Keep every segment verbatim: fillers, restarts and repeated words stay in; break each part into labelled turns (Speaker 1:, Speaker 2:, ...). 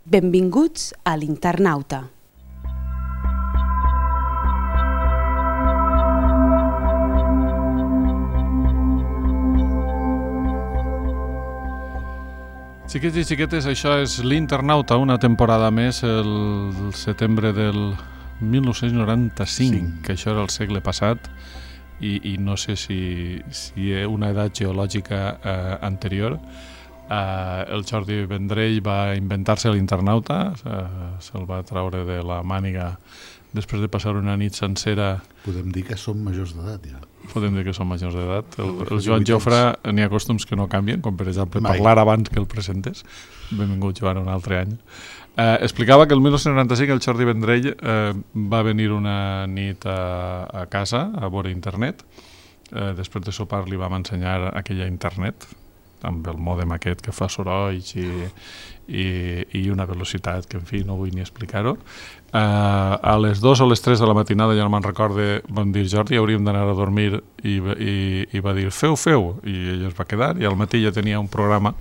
Speaker 1: Benvinguts a l'Internauta.
Speaker 2: Xiquets i xiquetes, això és l'Internauta, una temporada més, el setembre del mil nou-cents noranta-cinc, sí. Que això era el segle passat, i, i no sé si, si una edat geològica eh, anterior. Eh, el Jordi Vendrell va inventar-se l'Internauta, eh, se'l va traure de la màniga després de passar una nit sencera.
Speaker 3: Podem dir que som majors d'edat, ja.
Speaker 2: Podem dir que som majors d'edat. El, el Joan Jofre n'hi ha costums que no canvien, com per exemple
Speaker 3: Mai.
Speaker 2: parlar abans que el presentes. Benvingut, Joan, un altre any. Eh, explicava que el mil nou-cents noranta-cinc el Jordi Vendrell eh, va venir una nit a, a casa a veure internet. Eh, després de sopar li vam ensenyar aquella internet amb el mòdem aquest que fa sorolls i, i, i una velocitat que, en fi, no vull ni explicar-ho. Uh, a les dues o les tres de la matinada, ja no me'n recorde, van dir, Jordi, hauríem d'anar a dormir, i, i, i va dir, feu, feu, i ell es va quedar, i al matí ja tenia un programa,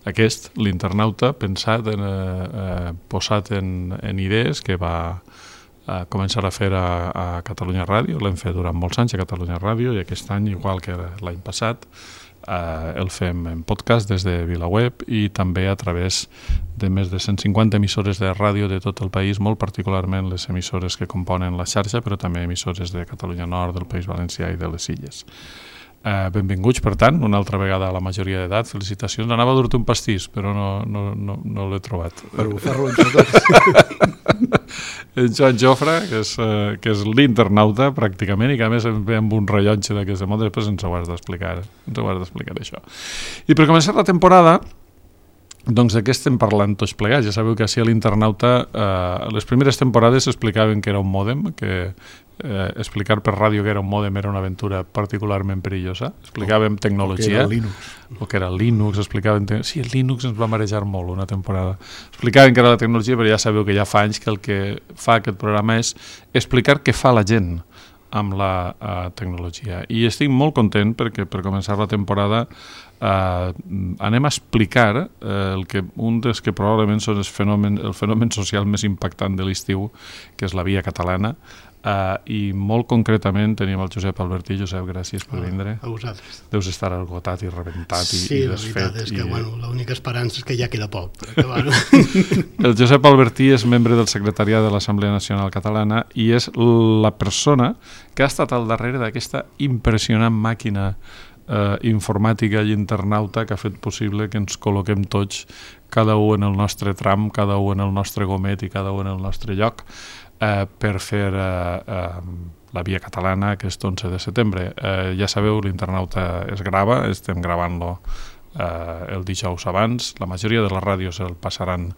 Speaker 2: aquest, l'Internauta, pensat, en, uh, posat en, en idees, que va uh, començar a fer a, a Catalunya Ràdio. L'hem fet durant molts anys a Catalunya Ràdio, i aquest any, igual que l'any passat, Uh, el fem en podcast des de VilaWeb i també a través de més de cent cinquanta emissores de ràdio de tot el país, molt particularment les emissores que componen la xarxa, però també emissores de Catalunya Nord, del País Valencià i de les Illes. Uh, benvinguts, per tant, una altra vegada a la majoria d'edat. Felicitacions. Anava a dur-te un pastís, però no, no, no, no l'he trobat.
Speaker 3: Per bufar-lo entre tots.
Speaker 2: En Joan Jofre, que és, uh, que és l'Internauta, pràcticament, i que a més ve amb un rellotge d'aquesta moda, després ens ho has d'explicar, ens ho has d'explicar això. I per començar la temporada, doncs de què estem parlant tots plegats? Ja sabeu que així a l'Internauta, eh, les primeres temporades explicaven que era un mòdem, que eh, explicar per ràdio que era un mòdem era una aventura particularment perillosa. Explicàvem
Speaker 3: o,
Speaker 2: tecnologia.
Speaker 3: O que era Linux.
Speaker 2: O que era Linux, explicaven... Te... Sí, el Linux ens va marejar molt una temporada. Explicaven que era la tecnologia, però ja sabeu que ja fa anys que el que fa aquest programa és explicar què fa la gent amb la uh, tecnologia. I estic molt content perquè per començar la temporada uh, anem a explicar uh, el que, un dels que probablement són els fenomen, el fenomen social més impactant de l'estiu, que és la Via Catalana, uh, i molt concretament tenim el Josep Albertí. Josep, gràcies per vindre.
Speaker 4: A vosaltres.
Speaker 2: Deus estar esgotat i rebentat i,
Speaker 4: sí,
Speaker 2: i desfet.
Speaker 4: Sí, la veritat és que
Speaker 2: i...
Speaker 4: bueno, l'única esperança és que ja queda poc. Que, bueno.
Speaker 2: El Josep Albertí és membre del secretariat de l'Assemblea Nacional Catalana i és la persona que ha estat al darrere d'aquesta impressionant màquina eh, informàtica i internauta que ha fet possible que ens col·loquem tots, cada un en el nostre tram, cada un en el nostre gomet i cada un en el nostre lloc, eh, per fer eh, eh, la Via Catalana aquest onze de setembre. Eh, ja sabeu, l'Internauta es grava, estem gravant-lo eh, el dijous abans. La majoria de les ràdios el passaran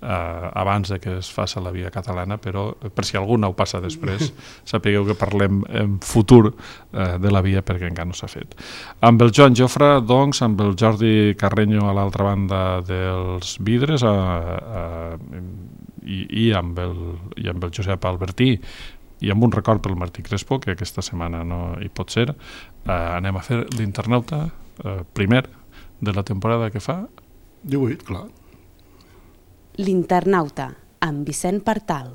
Speaker 2: Uh, abans de que es faci la Via Catalana, però per si algú no ho passa després, sapigueu que parlem en futur uh, de la Via perquè encara no s'ha fet. Amb el Joan Jofre, doncs, amb el Jordi Carreño a l'altra banda dels vidres, uh, uh, i, i, amb el, i amb el Josep Albertí, i amb un record pel Martí Crespo, que aquesta setmana no hi pot ser, uh, anem a fer l'Internauta uh, primer de la temporada que fa
Speaker 3: divuit, clar.
Speaker 1: L'Internauta, amb Vicent Partal.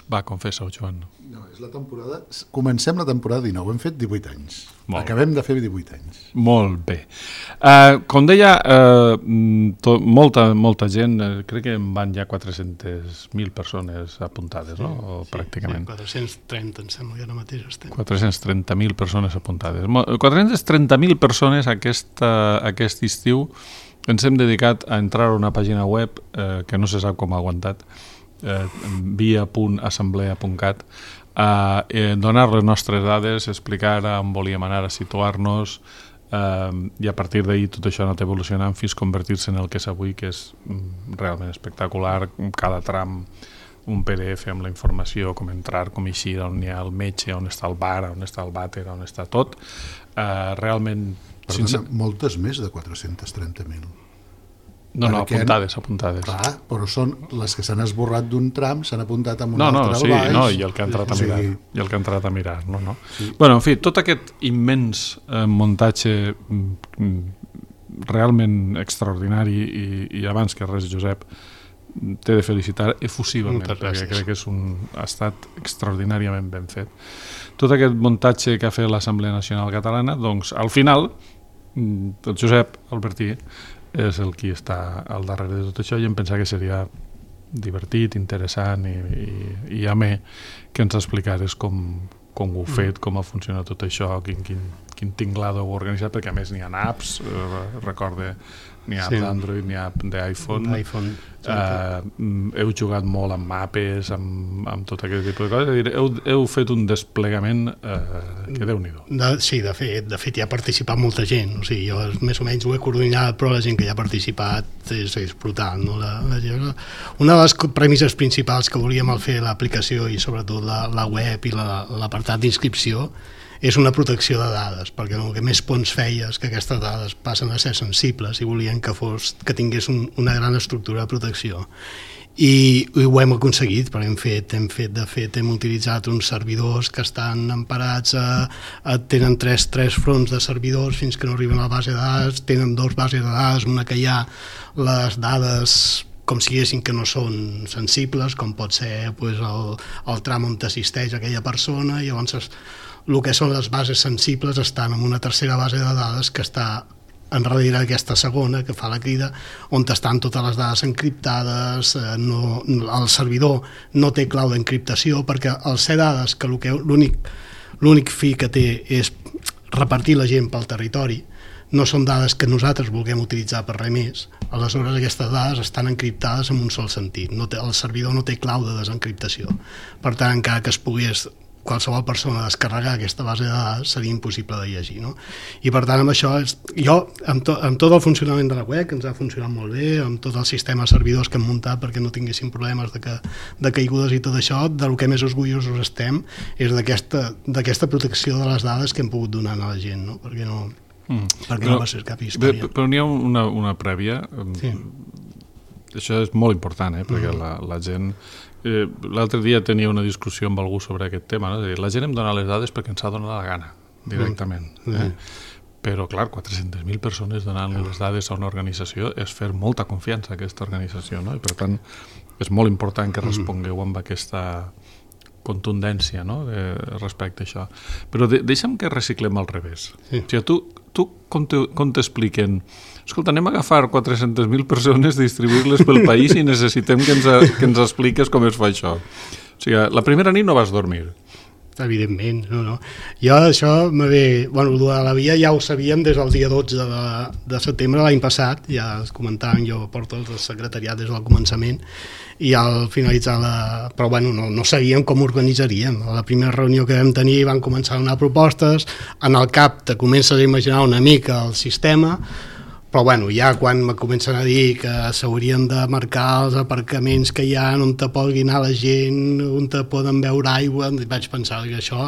Speaker 2: Va, confessa-ho, Joan.
Speaker 3: No, és la temporada... Comencem la temporada dinou, hem fet divuit anys.
Speaker 2: Molt
Speaker 3: Acabem de fer divuit anys.
Speaker 2: Molt bé. Uh, com deia, uh, to, molta, molta gent, uh, crec que en van ja quatre-centes mil persones apuntades, sí, no? O
Speaker 4: sí,
Speaker 2: pràcticament.
Speaker 4: Sí, quatre-cents trenta, em sembla, ja ara mateix estem.
Speaker 2: quatre-cents trenta mil persones apuntades. quatre-cents trenta mil persones aquesta, aquest estiu ens hem dedicat a entrar a una pàgina web uh, que no se sap com ha aguantat, eh, via punt assemblea punt cat, eh, eh, donar les nostres dades, explicar on volíem anar a situar-nos, eh, i a partir d'ahir tot això ha anat evolucionant fins a convertir-se en el que és avui, que és realment espectacular. Cada tram un P D F amb la informació, com entrar, com eixir, on hi ha el metge, on està el bar, on està el vàter, on està tot. Uh, realment...
Speaker 3: Perdona,
Speaker 2: sense...
Speaker 3: moltes més de quatre-cents trenta mil.
Speaker 2: No, no,
Speaker 3: Perquè,
Speaker 2: apuntades, apuntades.
Speaker 3: Clar, però són les que s'han esborrat d'un tram, s'han apuntat amb un
Speaker 2: no, no,
Speaker 3: altre
Speaker 2: sí,
Speaker 3: baix.
Speaker 2: No, i el que ha entrat a mirar.
Speaker 3: Sí.
Speaker 2: I el que ha entrat a mirar, no, no. Sí. Bueno, en fi, tot aquest immens eh, muntatge mm, realment extraordinari i, i abans que res, Josep, t'he de felicitar efusivament, perquè crec que és un, ha estat extraordinàriament ben fet. Tot aquest muntatge que ha fet l'Assemblea Nacional Catalana, doncs, al final, el Josep Albertí és el qui està al darrere de tot això i em pensava que seria divertit, interessant i, i, i amè que ens explicares com, com ho heu fet, com ha funcionat tot això, quin, quin, quin tinglado ho heu organitzat, perquè a més n'hi ha apps, eh, recorde, n'hi ha apps sí. d'Android, n'hi ha d'iPhone.
Speaker 4: iPhone.
Speaker 2: Uh, heu jugat molt amb mapes, amb, amb tot aquest tipus de coses, dir, heu, heu fet un desplegament uh, que Déu-n'hi-do.
Speaker 4: De, sí, de fet, de fet hi ha participat molta gent, o sigui, jo més o menys ho he coordinat, però la gent que hi ha participat és, és brutal, no? La, la, una de les premisses principals que volíem al fer l'aplicació i sobretot la, la web i l'apartat la, d'inscripció és una protecció de dades, perquè el que més pons feia és que aquestes dades passen a ser sensibles i volien que, fos, que tingués un, una gran estructura de protecció. I, i ho hem aconseguit, perquè hem fet, hem fet, de fet, hem utilitzat uns servidors que estan emparats, a, a, tenen tres, tres fronts de servidors fins que no arriben a la base de dades, tenen dos bases de dades, una que hi ha les dades com si diguessin que no són sensibles, com pot ser pues, el, el tram on t'assisteix aquella persona, i llavors es, el que són les bases sensibles estan en una tercera base de dades que està enrere aquesta segona, que fa la crida, on estan totes les dades encriptades, eh, no, el servidor no té clau d'encriptació, perquè al ser dades que l'únic l'únic fi que té és repartir la gent pel territori, no són dades que nosaltres vulguem utilitzar per res més, aleshores aquestes dades estan encriptades en un sol sentit, no té, el servidor no té clau de desencriptació, per tant encara que es pogués qualsevol persona descarregar aquesta base de dades seria impossible de llegir, no? I per tant amb això, és, jo amb, to, amb tot el funcionament de la web, que ens ha funcionat molt bé, amb tot el sistema de servidors que hem muntat perquè no tinguéssim problemes de, que, de caigudes i tot això, del que més orgullosos estem és d'aquesta protecció de les dades que hem pogut donar a la gent, no? Perquè no, mm. perquè però, no va ser cap història.
Speaker 2: Però, però n'hi ha una, una prèvia, sí. Això és molt important, eh? Perquè mm. la, la gent... Eh, l'altre dia tenia una discussió amb algú sobre aquest tema, no? La gent em dona les dades perquè ens ha donat la gana, directament. Mm. Eh? Però, clar, quatre-centes mil persones donant les dades a una organització és fer molta confiança a aquesta organització, no? I per tant, és molt important que respongueu amb aquesta contundència, no? De, respecte a això. Però de, deixa'm que reciclem al revés. Sí. O sigui, tu, tu com t'expliquen... Escolta, anem a agafar quatre-centes mil persones, distribuir-les pel país i necessitem que ens, que ens expliques com es fa això. O sigui, la primera nit no vas dormir.
Speaker 4: Evidentment, no, no. Jo això m'havia... Bueno, el de la via ja ho sabíem des del dia dotze de, de setembre de l'any passat, ja es comentàvem, jo porto el secretariat des del començament, i al finalitzar la... Però bueno, no, no sabíem com organitzaríem. A la primera reunió que vam tenir van començar a donar propostes, en el cap te comences a imaginar una mica el sistema, però bueno, ja quan me comencen a dir que s'haurien de marcar els aparcaments que hi ha, on te pugui anar la gent, on te poden beure aigua, vaig pensar que això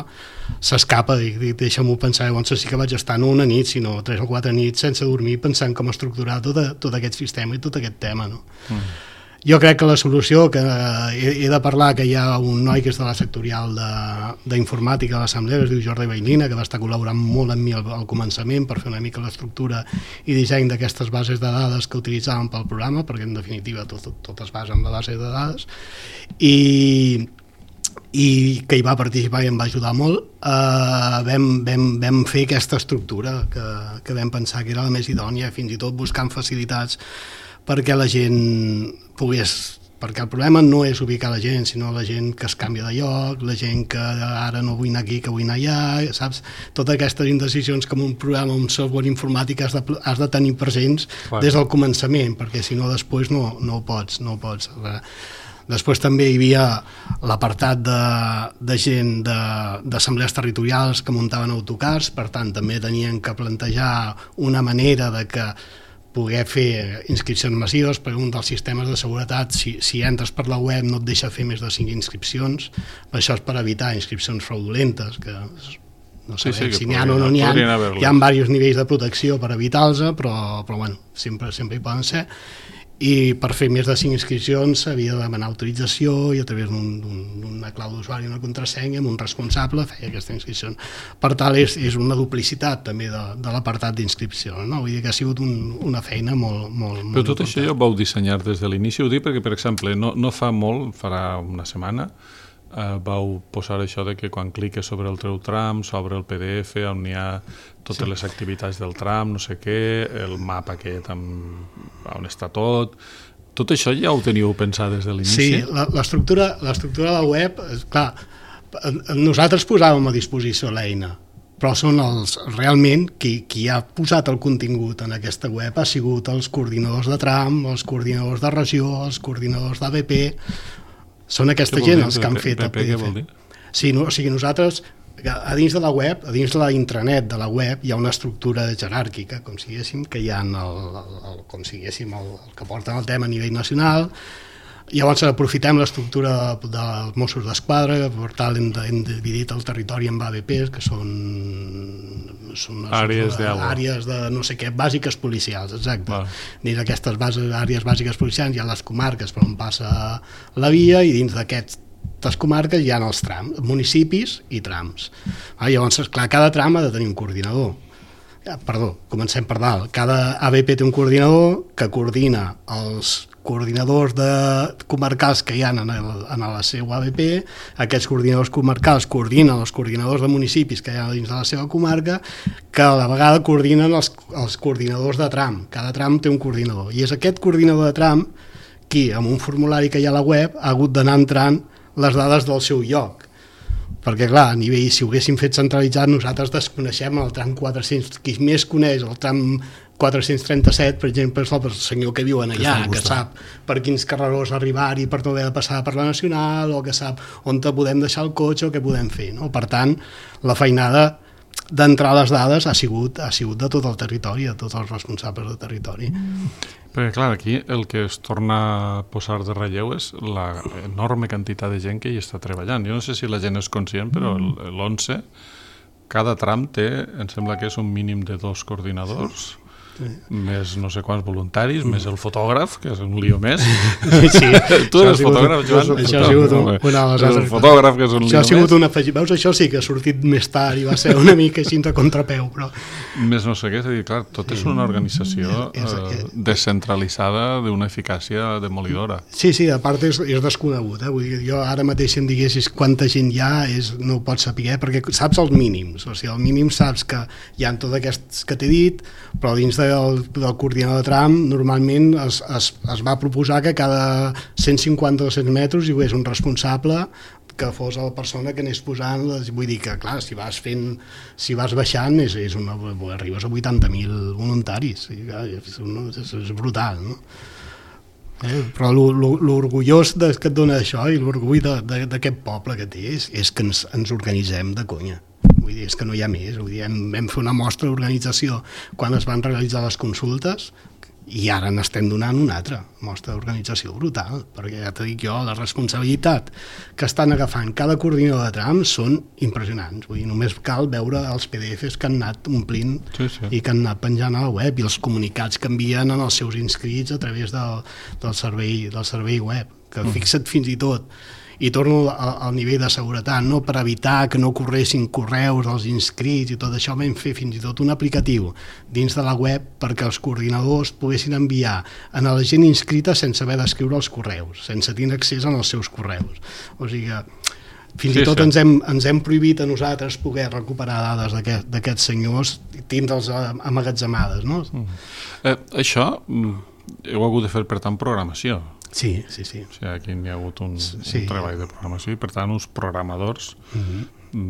Speaker 4: s'escapa, dic, dic deixa-m'ho pensar, llavors sí que vaig estar no una nit, sinó tres o quatre nits sense dormir pensant com estructurar tot, tot aquest sistema i tot aquest tema, no? Mm. Jo crec que la solució, que he, he de parlar que hi ha un noi que és de la sectorial d'informàtica de l'Assemblea, es diu Jordi Bailina, que va estar col·laborant molt amb mi al, al començament per fer una mica l'estructura i disseny d'aquestes bases de dades que utilitzàvem pel programa, perquè en definitiva tot, tot, tot es basa en la base de dades, i, i que hi va participar i em va ajudar molt. Uh, vam, vam, vam fer aquesta estructura que, que vam pensar que era la més idònia, fins i tot buscant facilitats perquè la gent pogués, perquè el problema no és ubicar la gent, sinó la gent que es canvia de lloc, la gent que ara no vull anar aquí, que vull anar allà, saps? Totes aquestes indecisions que en un programa, un software informàtic has de, has de tenir presents Clar. Des del començament, perquè si no després no, no ho pots, no ho pots. Després també hi havia l'apartat de, de gent d'assemblees territorials que muntaven autocars, per tant també tenien que plantejar una manera de que poder fer inscripcions massives, perquè un dels sistemes de seguretat, si, si entres per la web no et deixa fer més de cinc inscripcions, això és per evitar inscripcions fraudulentes, que no sabem sí, sí, si n'hi ha o no n'hi ha, hi ha diversos nivells de protecció per evitar-los, però, però bueno, sempre, sempre hi poden ser. I per fer més de cinc inscripcions s'havia de demanar autorització i a través d'una clau d'usuari i una contrasenya amb un responsable feia aquesta inscripció. Per tant, és, és una duplicitat també de, de l'apartat d'inscripció, no? Vull dir que ha sigut un, una feina molt, molt, molt
Speaker 2: Però tot
Speaker 4: important.
Speaker 2: Això ja ho vau dissenyar des de l'inici, ho dic perquè, per exemple, no, no fa molt, farà una setmana, Uh, vau posar això de que quan cliques sobre el teu tram s'obre el P D F on hi ha totes sí. les activitats del tram, no sé què, el mapa aquest amb, on està tot. Tot això ja ho teníeu pensat des de l'inici?
Speaker 4: Sí, l'estructura de la web, clar, nosaltres posàvem a disposició l'eina, però són els, realment qui, qui ha posat el contingut en aquesta web ha sigut els coordinadors de tram, els coordinadors de regió, els coordinadors d'A B P. Són aquesta gent els que han fet el P D F. Sí, no, o sigui, nosaltres, a dins de la web, a dins de la intranet de la web, hi ha una estructura jeràrquica, com si diguéssim, que hi ha el, el, el, com si diguéssim, el, el que porten el tema a nivell nacional. Llavors aprofitem l'estructura de, dels Mossos d'Esquadra, que per tal hem, de, hem dividit el territori en A B Ps, que són, són
Speaker 2: àrees de,
Speaker 4: àrees de no sé què, bàsiques policials, exacte. Vale. Dins d'aquestes bases, àrees bàsiques policials hi ha les comarques per on passa la via i dins d'aquestes comarques hi ha els trams, municipis i trams. Ah, llavors, clar, cada tram ha de tenir un coordinador. Perdó, comencem per dalt. Cada A B P té un coordinador que coordina els coordinadors de comarcals que hi ha en, el, en la seva A B P, aquests coordinadors comarcals coordinen els coordinadors de municipis que hi ha dins de la seva comarca, que a la vegada coordinen els, els coordinadors de tram. Cada tram té un coordinador, i és aquest coordinador de tram qui, amb un formulari que hi ha a la web, ha hagut d'anar entrant les dades del seu lloc. Perquè, clar, a nivell, si ho haguéssim fet centralitzat, nosaltres desconeixem el tram quatre-cents, qui més coneix el tram quatre-cents trenta-set, per exemple, és el senyor que viu allà, que, que sap per quins carrerons arribar-hi per no haver de passar per la Nacional, o que sap on podem deixar el cotxe o què podem fer, no? Per tant, la feinada d'entrar les dades ha sigut, ha sigut de tot el territori, de tots els responsables del territori.
Speaker 2: Perquè, clar, aquí el que es torna a posar de relleu és la enorme quantitat de gent que hi està treballant. Jo no sé si la gent és conscient, però l'onze, cada tram té, em sembla que és un mínim de dos coordinadors, sí. més no sé quants voluntaris, mm. més el fotògraf, que és un lío més.
Speaker 4: Sí,
Speaker 2: tu eres fotògraf, Joan?
Speaker 4: Això ha sigut un, una de les
Speaker 2: altres. El fotògraf, que és un lío més.
Speaker 4: Això ha sigut un afegit. Veus, això sí que ha sortit més tard i va ser una mica així a contrapeu, però...
Speaker 2: Més no sé què, és a dir, clar, tot sí. és una organització és, eh, descentralitzada d'una eficàcia demolidora.
Speaker 4: Sí, sí, a part és, és desconegut. Eh? Vull dir, jo ara mateix si em diguessis quanta gent hi ha, és, no ho pots saber, perquè saps els mínims. O sigui, el mínim saps que hi ha tots aquests que t'he dit, però dins de Del, del coordinador de tram normalment es, es, es va proposar que cada cent cinquanta o dos-cents metres hi hagués un responsable que fos la persona que anés posant, vull dir que clar, si vas fent, si vas baixant és, és una, arribes a vuitanta mil voluntaris, i, clar, és, és, és brutal, no? Eh, però l'orgullós que et dona això i l'orgull d'aquest poble que té és, és que ens, ens organitzem de conya. Vull dir, és que no hi ha més. Vull dir, hem, vam fer una mostra d'organització quan es van realitzar les consultes i ara n'estem donant una altra mostra d'organització brutal, perquè ja t'ho dic jo, la responsabilitat que estan agafant cada coordinador de tram són impressionants. Vull dir, només cal veure els P D Fs que han anat omplint sí, sí. i que han anat penjant a la web i els comunicats que envien en els seus inscrits a través del, del, servei, del servei web, que mm. fixa't fins i tot i torno al nivell de seguretat, no? Per evitar que no corressin correus als inscrits i tot això vam fer fins i tot un aplicatiu dins de la web perquè els coordinadors poguessin enviar a la gent inscrita sense haver d'escriure els correus, sense tenir accés als seus correus. O sigui que fins sí, i tot sí. ens, hem, ens hem prohibit a nosaltres poder recuperar dades d'aquests aquest senyors i tindre'ls amagatzemades. No?
Speaker 2: Mm. Eh, això heu hagut de fer, per tant, programació.
Speaker 4: Sí, sí, sí.
Speaker 2: O sigui, aquí hi ha hagut un,
Speaker 4: sí.
Speaker 2: un treball de programació i, per tant, uns programadors
Speaker 4: uh-huh.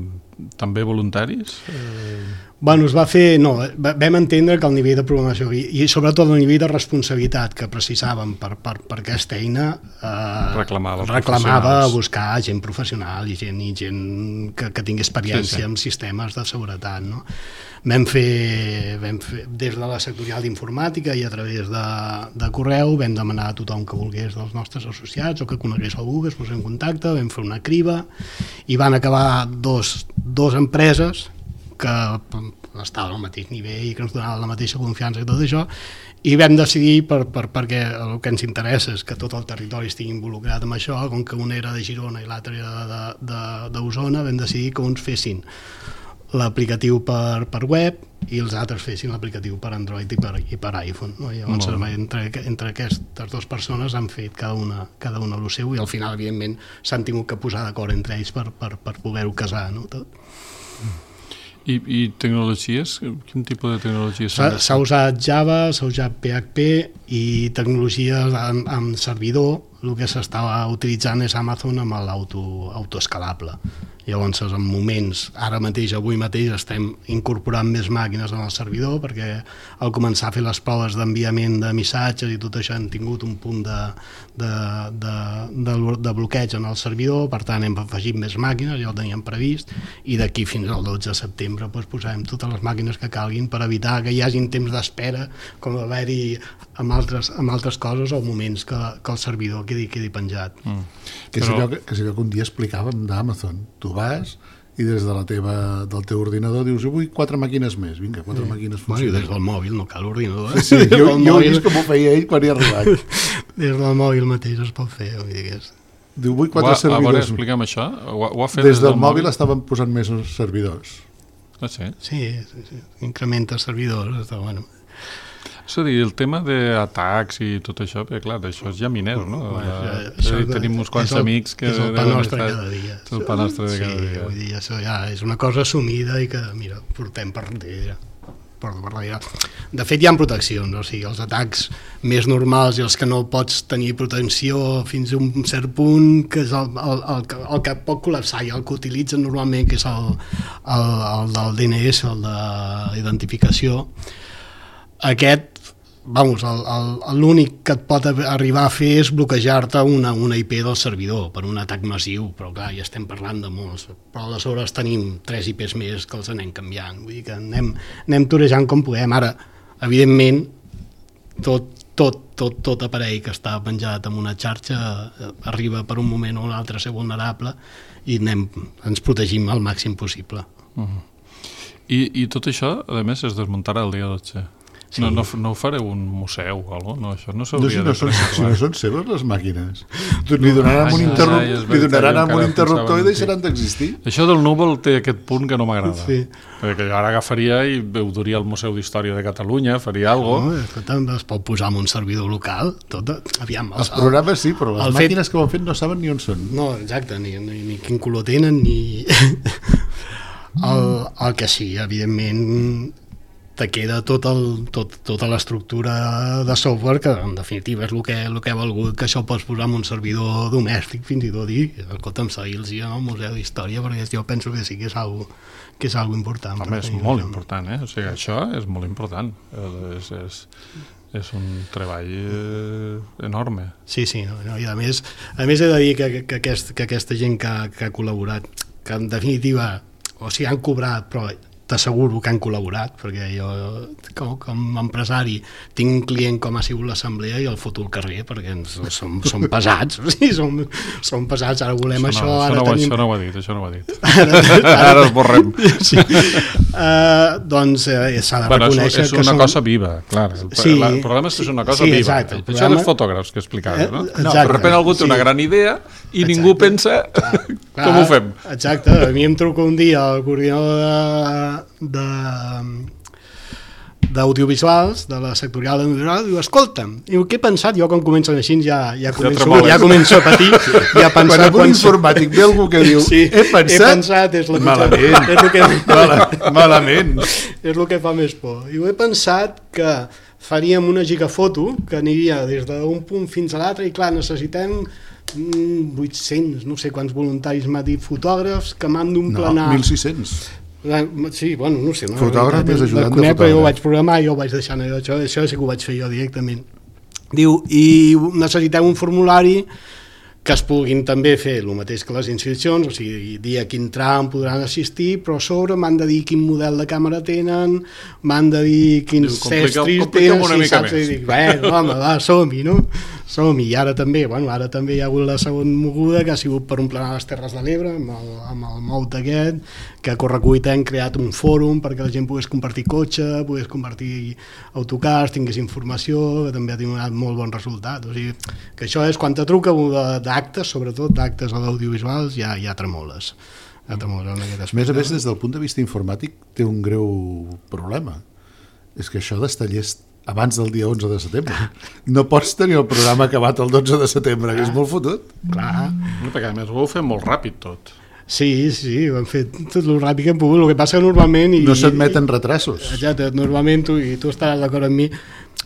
Speaker 2: també voluntaris? Eh...
Speaker 4: Bueno, es va fer... No, vam entendre que el nivell de programació i, i sobretot el nivell de responsabilitat que precisàvem per, per, per aquesta eina eh,
Speaker 2: reclamava,
Speaker 4: reclamava buscar gent professional i gent, i gent que, que tingui experiència sí, sí. en sistemes de seguretat, no? vam fer, vam fer des de la sectorial d'informàtica i a través de, de correu vam demanar a tothom que volgués dels nostres associats o que conegués algú que es posés en contacte, vam fer una criba i van acabar dos, dos empreses que estaven al mateix nivell i que ens donaven la mateixa confiança i tot això, i vam decidir, per, per, perquè el que ens interessa és que tot el territori estigui involucrat en això, com que una era de Girona i l'altra era d'Osona, vam decidir que uns fessin l'aplicatiu per, per web i els altres fessin l'aplicatiu per Android i per, i per iPhone. No? I llavors, no. entre, entre aquestes dues persones han fet cada una, cada una el seu i al final, evidentment, s'han tingut que posar d'acord entre ells per, per, per poder-ho casar, no? Tot.
Speaker 2: I, i tecnologies? Quin tipus de tecnologies?
Speaker 4: S'ha usat Java, s'ha usat P H P i tecnologies amb, amb servidor. El que s'estava utilitzant és Amazon amb l'auto autoescalable. Llavors, en moments, ara mateix, avui mateix, estem incorporant més màquines en el servidor perquè al començar a fer les proves d'enviament de missatges i tot això hem tingut un punt de, de, de, de, de bloqueig en el servidor, per tant hem afegit més màquines, ja ho teníem previst, i d'aquí fins al dotze de setembre doncs, posarem totes les màquines que calguin per evitar que hi hagin temps d'espera, com haver-hi amb altres, amb altres coses o moments que, que el servidor quedi, quedi penjat. Mm.
Speaker 3: Que és allò que, que, és allò que un dia explicàvem d'Amazon. Tu vas i des de la teva, del teu ordinador dius, jo vull quatre màquines més, vinga, quatre sí. màquines funcionen.
Speaker 4: Bueno, des del mòbil, no cal ordinador. Eh?
Speaker 3: Sí, jo, jo he vist com ho feia ell quan hi ha arribat.
Speaker 4: Des del mòbil mateix es pot fer, vull dir que és...
Speaker 3: Diu, vull quatre
Speaker 2: ha,
Speaker 3: servidors.
Speaker 2: A veure, explica'm això. Ho, ho ha fet
Speaker 3: des, des del, del mòbil, mòbil estaven posant més servidors.
Speaker 2: Ah, sí?
Speaker 4: Sí, sí, sí. Incrementa servidors, està bueno.
Speaker 2: És a dir, el tema d'atacs i tot això, perquè clar, això és ja minero, no?
Speaker 4: Bueno,
Speaker 2: ja,
Speaker 4: això,
Speaker 2: tenim uns quants
Speaker 4: el,
Speaker 2: amics que...
Speaker 4: És el pa nostre cada dia.
Speaker 2: És el pa nostre de cada
Speaker 4: sí,
Speaker 2: dia.
Speaker 4: Vull dir, això ja és una cosa assumida i que, mira, portem per darrere. Per darrere. De fet, hi ha proteccions, o sigui, els atacs més normals i els que no pots tenir protecció fins a un cert punt, que és el, el, el, el que pot col·lapsar i el que utilitzen normalment, que és el, el, el del D N S, el d'identificació. Aquest, vamos, l'únic que et pot arribar a fer és bloquejar-te una, una I P del servidor per un atac massiu, però clar, ja estem parlant de molts, però aleshores tenim tres I Ps més que els anem canviant, vull dir que anem, anem torejant com podem. Ara, evidentment, tot, tot, tot, tot aparell que està penjat en una xarxa arriba per un moment o un altre a ser vulnerable i anem, ens protegim al màxim possible.
Speaker 2: Uh-huh. I, I tot això, a més, es desmuntarà el dia dotze. Sí. No, no, no ho fareu un museu o alguna cosa? No, això no s'hauria
Speaker 3: no, si no de preservar. Si no són seves les màquines. Li donaran amb un, interrup... ja, li donaran amb un interruptor i deixaran d'existir.
Speaker 2: Això del núvol té aquest punt que no m'agrada.
Speaker 4: Sí.
Speaker 2: Perquè jo ara agafaria i ho duria al Museu d'Història de Catalunya, faria alguna
Speaker 4: cosa. No, es pot posar en un servidor local. Tot, aviam,
Speaker 3: els, els programes sí, però les màquines fet... que ho han fet no saben ni on són.
Speaker 4: No, exacte, ni, ni, ni quin color tenen, ni... el, el que sí, evidentment... te queda tot el, tot, tota l'estructura de software que en definitiva és el que, el que ha valgut que això pots posar en un servidor domèstic fins i tot dir, escolta'm, seguir-los en el Museu d'Història perquè jo penso que sí que és algo, que és algo important.
Speaker 2: Home, és molt important, eh? O sigui, això és molt important. És, és, és un treball eh, enorme.
Speaker 4: Sí, sí, no, i a més, a més he de dir que, que, aquest, que aquesta gent que, que ha col·laborat, que en definitiva, o sigui, han cobrat, però t'asseguro que han col·laborat, perquè jo com, com a empresari tinc un client com ha sigut l'assemblea i el foto al carrer, perquè ens, som, som pesats, o sigui, som, som pesats, ara volem això,
Speaker 2: això, no,
Speaker 4: ara
Speaker 2: això, no,
Speaker 4: tenim...
Speaker 2: això no ho ha dit, això no ho ha dit. Ara, ara, ara es borrem.
Speaker 4: Sí. Uh, doncs eh, s'ha de
Speaker 2: bueno,
Speaker 4: reconèixer
Speaker 2: és, és una
Speaker 4: que
Speaker 2: cosa som... viva, clar. El,
Speaker 4: sí,
Speaker 2: el problema és que és una cosa
Speaker 4: sí,
Speaker 2: viva.
Speaker 4: Exacte,
Speaker 2: això programa... dels fotògrafs que explicaves, no?
Speaker 4: Exacte,
Speaker 2: no de sobte algú té sí. una gran idea i exacte. Ningú pensa clar, clar, com ho fem.
Speaker 4: Exacte, a mi em truca un dia el coordinador de, de d'audiovisuals, de la sectorial d'audiovisuals, diu, escolta'm, diu, què he pensat? Jo quan comencen així ja, ja, començo, ja, ja començo a patir. Ja pensar,
Speaker 3: quan algun quan... informàtic ve algú que diu,
Speaker 4: sí,
Speaker 3: he pensat...
Speaker 4: He pensat, és la
Speaker 3: malament.
Speaker 4: És el que...
Speaker 3: Mal, malament.
Speaker 4: És el que fa més por. Diu, he pensat que faríem una gigafoto que aniria des d'un punt fins a l'altre i clar, necessitem vuit-cents, no sé quants voluntaris m'ha dit, fotògrafs que m'han d'un planar...
Speaker 3: No, mil sis-cents.
Speaker 4: Sí, bueno, no sé. No,
Speaker 3: fotògraf més ajudant de
Speaker 4: fotògraf.
Speaker 3: Però
Speaker 4: jo ho vaig programar i jo ho vaig deixar allò, això, això sí que ho vaig fer jo directament. Diu, i necessitem un formulari que es puguin també fer el mateix que les inscripcions, o sigui, dir a quin tram podran assistir, però a sobre m'han de dir quin model de càmera tenen, m'han de dir quins estris tenen,
Speaker 2: una
Speaker 4: si
Speaker 2: mica
Speaker 4: saps,
Speaker 2: més.
Speaker 4: i dic, bueno, home, va, som-hi, no? Som-hi, i ara també, bueno, ara també hi ha hagut la segona moguda, que ha sigut per emplenar les Terres de l'Ebre, amb el, amb el Mout aquest, que a Correcuita hem creat un fòrum perquè la gent pogués compartir cotxe, pogués compartir autocars, tingués informació, que també ha donat molt bon resultat. O sigui, que això és, quan te truca d'actes, sobretot d'actes a l'audiovisuals, ja, ja tremoles. Ja tremoles en aquest aspecte.
Speaker 3: A més a més, des del punt de vista informàtic, té un greu problema. És que això d'estar llest abans del dia onze de setembre. No pots tenir el programa acabat el dotze de setembre, que és molt fotut.
Speaker 4: Clar.
Speaker 2: Perquè a més ho heu fet molt ràpid tot.
Speaker 4: Sí, sí, ho hem fet tot el ràpid que hem pogut. El que passa que normalment... I,
Speaker 3: no s'admeten retrasos.
Speaker 4: Exacte, normalment tu, i tu estaràs d'acord amb mi,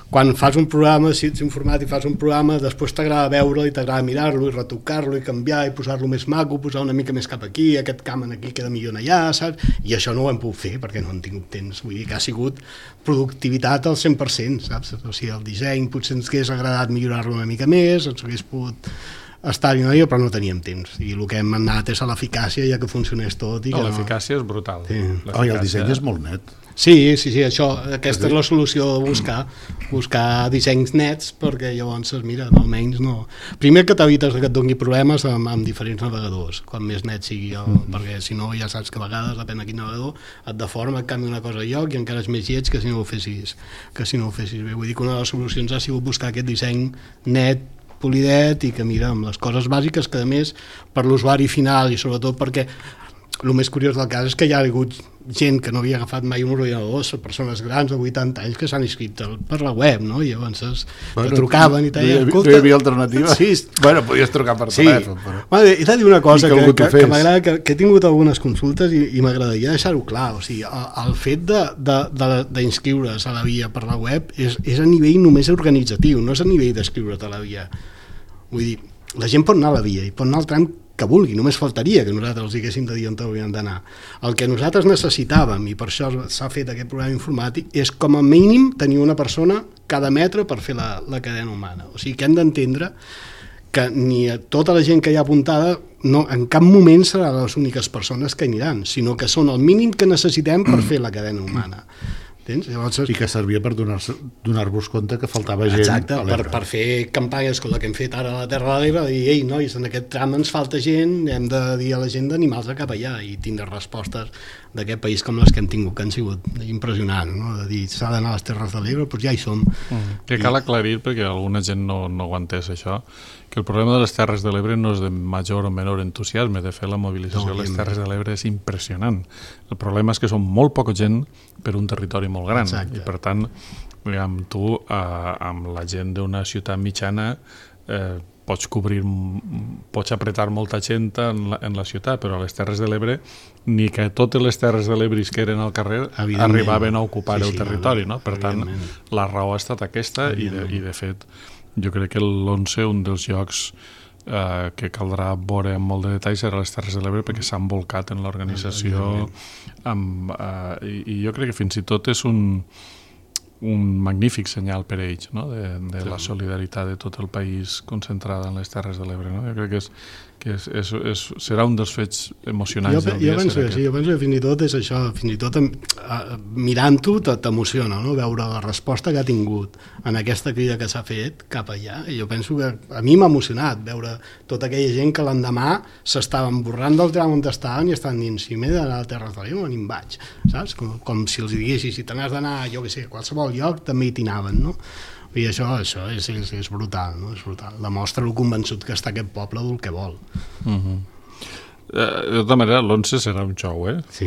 Speaker 4: quan fas un programa, si ets informàtic, fas un programa, després t'agrada veure'l i t'agrada mirar-lo i retocar-lo i canviar i posar-lo més maco, posar una mica més cap aquí, aquest camp aquí queda millor allà, saps? I això no ho hem pogut fer perquè no hem tingut temps. Vull dir que ha sigut productivitat al cent per cent, saps? O sigui, el disseny potser ens hagués agradat millorar-lo una mica més, ens hagués pogut estar-hi una mica, però no teníem temps. I el que hem anat és a l'eficàcia, ja que funcionés tot. I
Speaker 2: no,
Speaker 4: que
Speaker 2: l'eficàcia és brutal.
Speaker 4: Sí.
Speaker 3: Oh, i el disseny és molt net.
Speaker 4: Sí, sí, sí, això, aquesta és la solució de buscar, buscar dissenys nets, perquè llavors, mira, almenys no... Primer que t'evites que et doni problemes amb, amb diferents navegadors, quan més net sigui, el, mm. perquè si no ja saps que a vegades, depèn de quin navegador, et deforma, et canvia una cosa a lloc i encara és més lleig que si no ho fessis, que si no ho fessis bé. Vull dir que una de les solucions ha sigut buscar aquest disseny net, polidet, i que mira, amb les coses bàsiques, que a més, per l'usuari final i sobretot perquè el més curiós del cas és que hi ha hagut gent que no havia agafat mai un ordinador, persones grans de vuitanta anys que s'han inscrit per la web, no? I llavors bueno, te trucaven i tal.
Speaker 3: No, no, no hi havia alternativa?
Speaker 4: Sí.
Speaker 3: Bueno, podies trucar per
Speaker 4: sí.
Speaker 3: telèfon. Però...
Speaker 4: Bueno, he de dir una cosa que, que,
Speaker 3: que,
Speaker 4: que m'agrada, que, que he tingut algunes consultes i, i m'agradaria deixar-ho clar. O sigui, el, el fet d'inscriure's a la via per la web és, és a nivell només organitzatiu, no és a nivell d'escriure't a la via. Vull dir, la gent pot anar a la via i pot anar al tram que vulgui, només faltaria que nosaltres els diguéssim de dir on haurien d'anar. El que nosaltres necessitàvem, i per això s'ha fet aquest programa informàtic, és com a mínim tenir una persona cada metre per fer la, la cadena humana. O sigui que hem d'entendre que ni a tota la gent que hi ha apuntada no, en cap moment seran les úniques persones que aniran, sinó que són el mínim que necessitem per fer la cadena humana. Tens? Llavors,
Speaker 3: i que servia per donar-vos donar compte que faltava gent.
Speaker 4: Exacte, per, per fer campanyes com la que hem fet ara a la Terra de l'Ebre, de dir, ei, nois, en aquest tram ens falta gent, hem de dir a la gent d'animals cap allà i tindre respostes d'aquest país com les que hem tingut, que han sigut impressionants, no? De dir, s'ha d'anar a les Terres de l'Ebre, doncs ja hi som.
Speaker 2: Mm. Que cal aclarir, perquè alguna gent no, no ho ha entès, això, que el problema de les Terres de l'Ebre no és de major o menor entusiasme. De fet, la mobilització no, a les Terres de l'Ebre és impressionant. El problema és que són molt poca gent per un territori molt gran. Exacte. I per tant, diguem, tu eh, amb la gent d'una ciutat mitjana eh, pots cobrir, pots apretar molta gent en la, en la ciutat, però a les Terres de l'Ebre ni que totes les Terres de l'Ebre que eren al carrer arribaven a ocupar sí, el sí, territori, no? Per tant, la raó ha estat aquesta i de, i de fet jo crec que l'onze, un dels llocs eh, que caldrà veure amb molt de detall serà les Terres de l'Ebre, perquè s'han volcat en l'organització amb, eh, i, i jo crec que fins i tot és un un magnífic senyal per a ells, no? de, de sí. la solidaritat de tot el país concentrada en les Terres de l'Ebre. No? Jo crec que, és, que és, és, és, serà un dels fets emocionants
Speaker 4: jo,
Speaker 2: del dia.
Speaker 4: Jo penso que sí, jo penso que fins i tot és això, fins i tot uh, mirant-ho t'emociona, no? Veure la resposta que ha tingut en aquesta crida que s'ha fet cap allà, i jo penso que a mi m'ha emocionat veure tota aquella gent que l'endemà s'estaven borrant del tram on estaven i estan dient, si m'he d'anar a Terres de l'Ebre, on hi vaig, saps? Com, com si els diguessis, si te n'has d'anar, jo què sé, a qualsevol lloc, també hi t'anaven, no? I això, això és, és, és brutal, no? És brutal. Demostra el convençut que està aquest poble del que vol.
Speaker 2: Uh-huh. Uh, de tota manera, l'onze serà un xou, eh?
Speaker 4: Sí.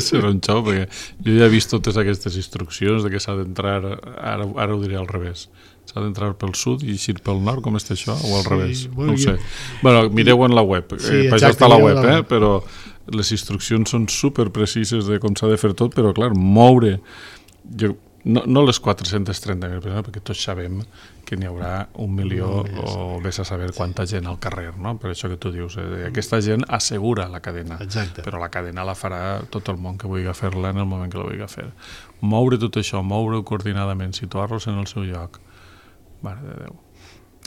Speaker 2: Serà un xou, perquè jo ja he vist totes aquestes instruccions de que s'ha d'entrar, ara, ara ho diré al revés, s'ha d'entrar pel sud i eixir pel nord, com està això? O al sí, revés? Bueno, no ho sé. Jo... Bueno, mireu en la web, sí, eh, per això està la web, eh? Però les instruccions són superprecises de com s'ha de fer tot, però clar, moure... Jo, no, no les quatre-centes trenta mil persones, perquè tots sabem que n'hi haurà un milió no, o vés a saber quanta gent al carrer, no? Per això que tu dius, eh, aquesta gent assegura la cadena.
Speaker 4: Exacte. Però
Speaker 2: la cadena la farà tot el món que vulgui fer-la en el moment que la vulgui fer. Moure tot això, moure-ho coordinadament, situar-los en el seu lloc, mare de Déu.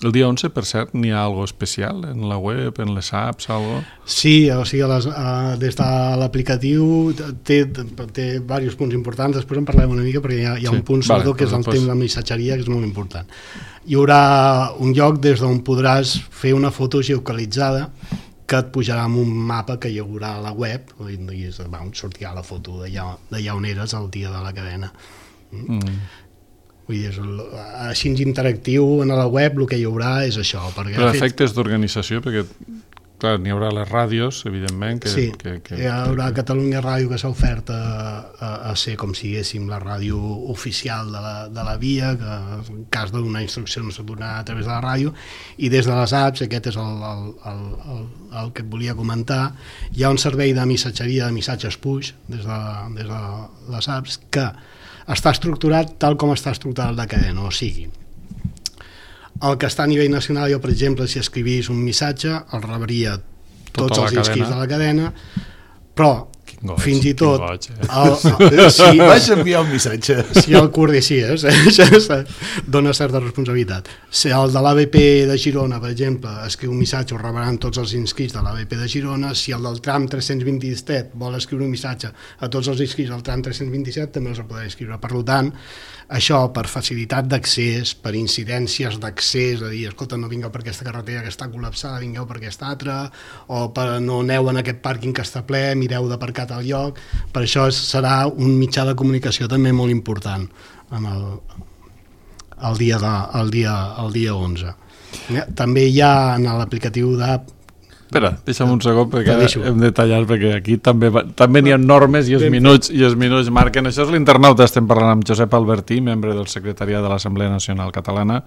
Speaker 2: El dia onze, per cert, n'hi ha alguna especial en la web, en les apps, algo?
Speaker 4: Sí, o sigui, les, uh, des de l'aplicatiu té, té diversos punts importants, després en parlem una mica perquè hi ha, hi ha sí, un punt sobretot vale, que és el tema de missatgeria, que és molt important. Hi haurà un lloc des d'on podràs fer una foto geolocalitzada que et pujarà amb un mapa que hi haurà a la web i és, va, sortirà la foto d'allà on eres el dia de la cadena. Mm. Mm. Vull dir, és el, així interactiu en la web el que hi haurà és això.
Speaker 2: Però efectes fet... d'organització, perquè clar, n'hi haurà les ràdios, evidentment. Que,
Speaker 4: sí,
Speaker 2: que, que,
Speaker 4: hi haurà que... Catalunya Ràdio que s'ha ofert a, a, a ser com si diguéssim la ràdio oficial de la, de la via, que en cas d'una instrucció no s'ha donat a través de la ràdio, i des de les apps, aquest és el, el, el, el, el que et volia comentar, hi ha un servei de missatgeria, de missatges push, des de, des de les apps, que està estructurat tal com està estructurat la cadena, o sigui, el que està a nivell nacional, jo per exemple, si escrivís un missatge, el rebria tots tota els inscrits de la cadena, però goig, fins i tot
Speaker 2: goig, eh?
Speaker 3: el, el, si vaig enviar un missatge
Speaker 4: si el coordicies eh? dona certa responsabilitat. Si el de l'A B P de Girona, per exemple, escriu un missatge, ho rebran tots els inscrits de l'A B P de Girona. Si el del tram tres-cents vint-i-set vol escriure un missatge a tots els inscrits del tram tres-cents vint-i-set, també els podrà escriure. Per tant, això per facilitat d'accés, per incidències d'accés, a dir, escolta, no vingueu per aquesta carretera que està col·lapsada, vingueu per aquesta altra, o per no aneu en aquest pàrquing que està ple, mireu d'aparcar al lloc. Per això serà un mitjà de comunicació també molt important en el, el, dia, de, el, dia, el dia onze. També hi ha en l'aplicatiu d'app.
Speaker 2: Espera, deixa'm un segon perquè hem de tallar, perquè aquí també, també n'hi ha normes i els minuts, i els minuts marquen. Això és l'Internauta, estem parlant amb Josep Albertí, membre del secretariat de l'Assemblea Nacional Catalana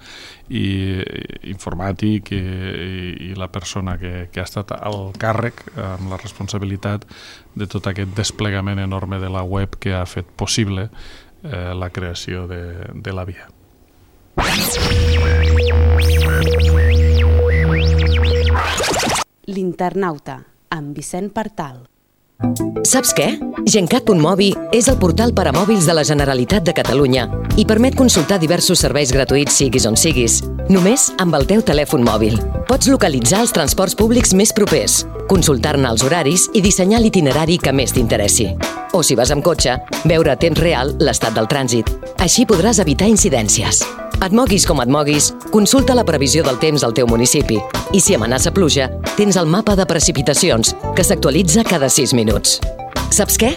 Speaker 2: i informàtic i, i, i la persona que, que ha estat al càrrec amb la responsabilitat de tot aquest desplegament enorme de la web que ha fet possible eh, la creació de, de la via.
Speaker 1: L'Internauta, amb Vicent Partal.
Speaker 5: Saps què? Gencat.mobi és el portal per a mòbils de la Generalitat de Catalunya i permet consultar diversos serveis gratuïts siguis on siguis, només amb el teu telèfon mòbil. Pots localitzar els transports públics més propers, consultar-ne els horaris i dissenyar l'itinerari que més t'interessi. O si vas amb cotxe, veure a temps real l'estat del trànsit. Així podràs evitar incidències. Et moguis com et moguis, consulta la previsió del temps al teu municipi i si amenaça pluja, tens el mapa de precipitacions que s'actualitza cada sis minuts. Saps què?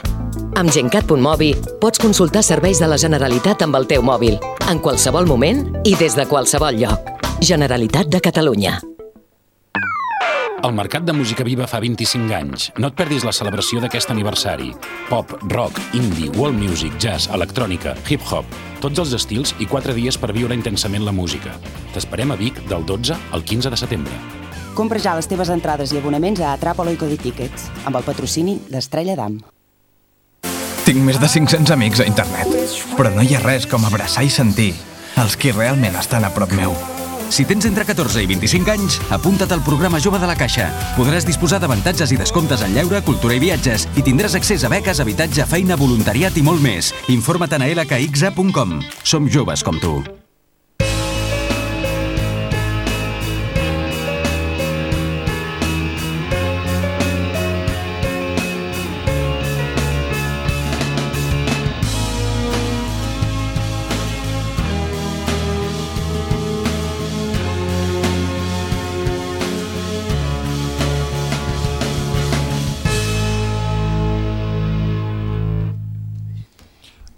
Speaker 5: Amb Gencat.mobi pots consultar serveis de la Generalitat amb el teu mòbil, en qualsevol moment i des de qualsevol lloc. Generalitat de Catalunya.
Speaker 6: El Mercat de Música Viva fa vint-i-cinc anys. No et perdis la celebració d'aquest aniversari. Pop, rock, indie, world music, jazz, electrònica, hip-hop, tots els estils i quatre dies per viure intensament la música. T'esperem a Vic del dotze al quinze de setembre.
Speaker 7: Compra ja les teves entrades i abonaments a Atrapalo i Cody Tickets, amb el patrocini d'Estrella Damm.
Speaker 8: Tinc més de cinc-cents amics a internet, però no hi ha res com abraçar i sentir els qui realment estan a prop meu.
Speaker 9: Si tens entre catorze i vint-i-cinc anys, apunta't al programa Jove de la Caixa. Podràs disposar d'avantatges i descomptes en lleure, cultura i viatges i tindràs accés a beques, habitatge, feina, voluntariat i molt més. Informa't a l k x a punt com. Som joves com tu.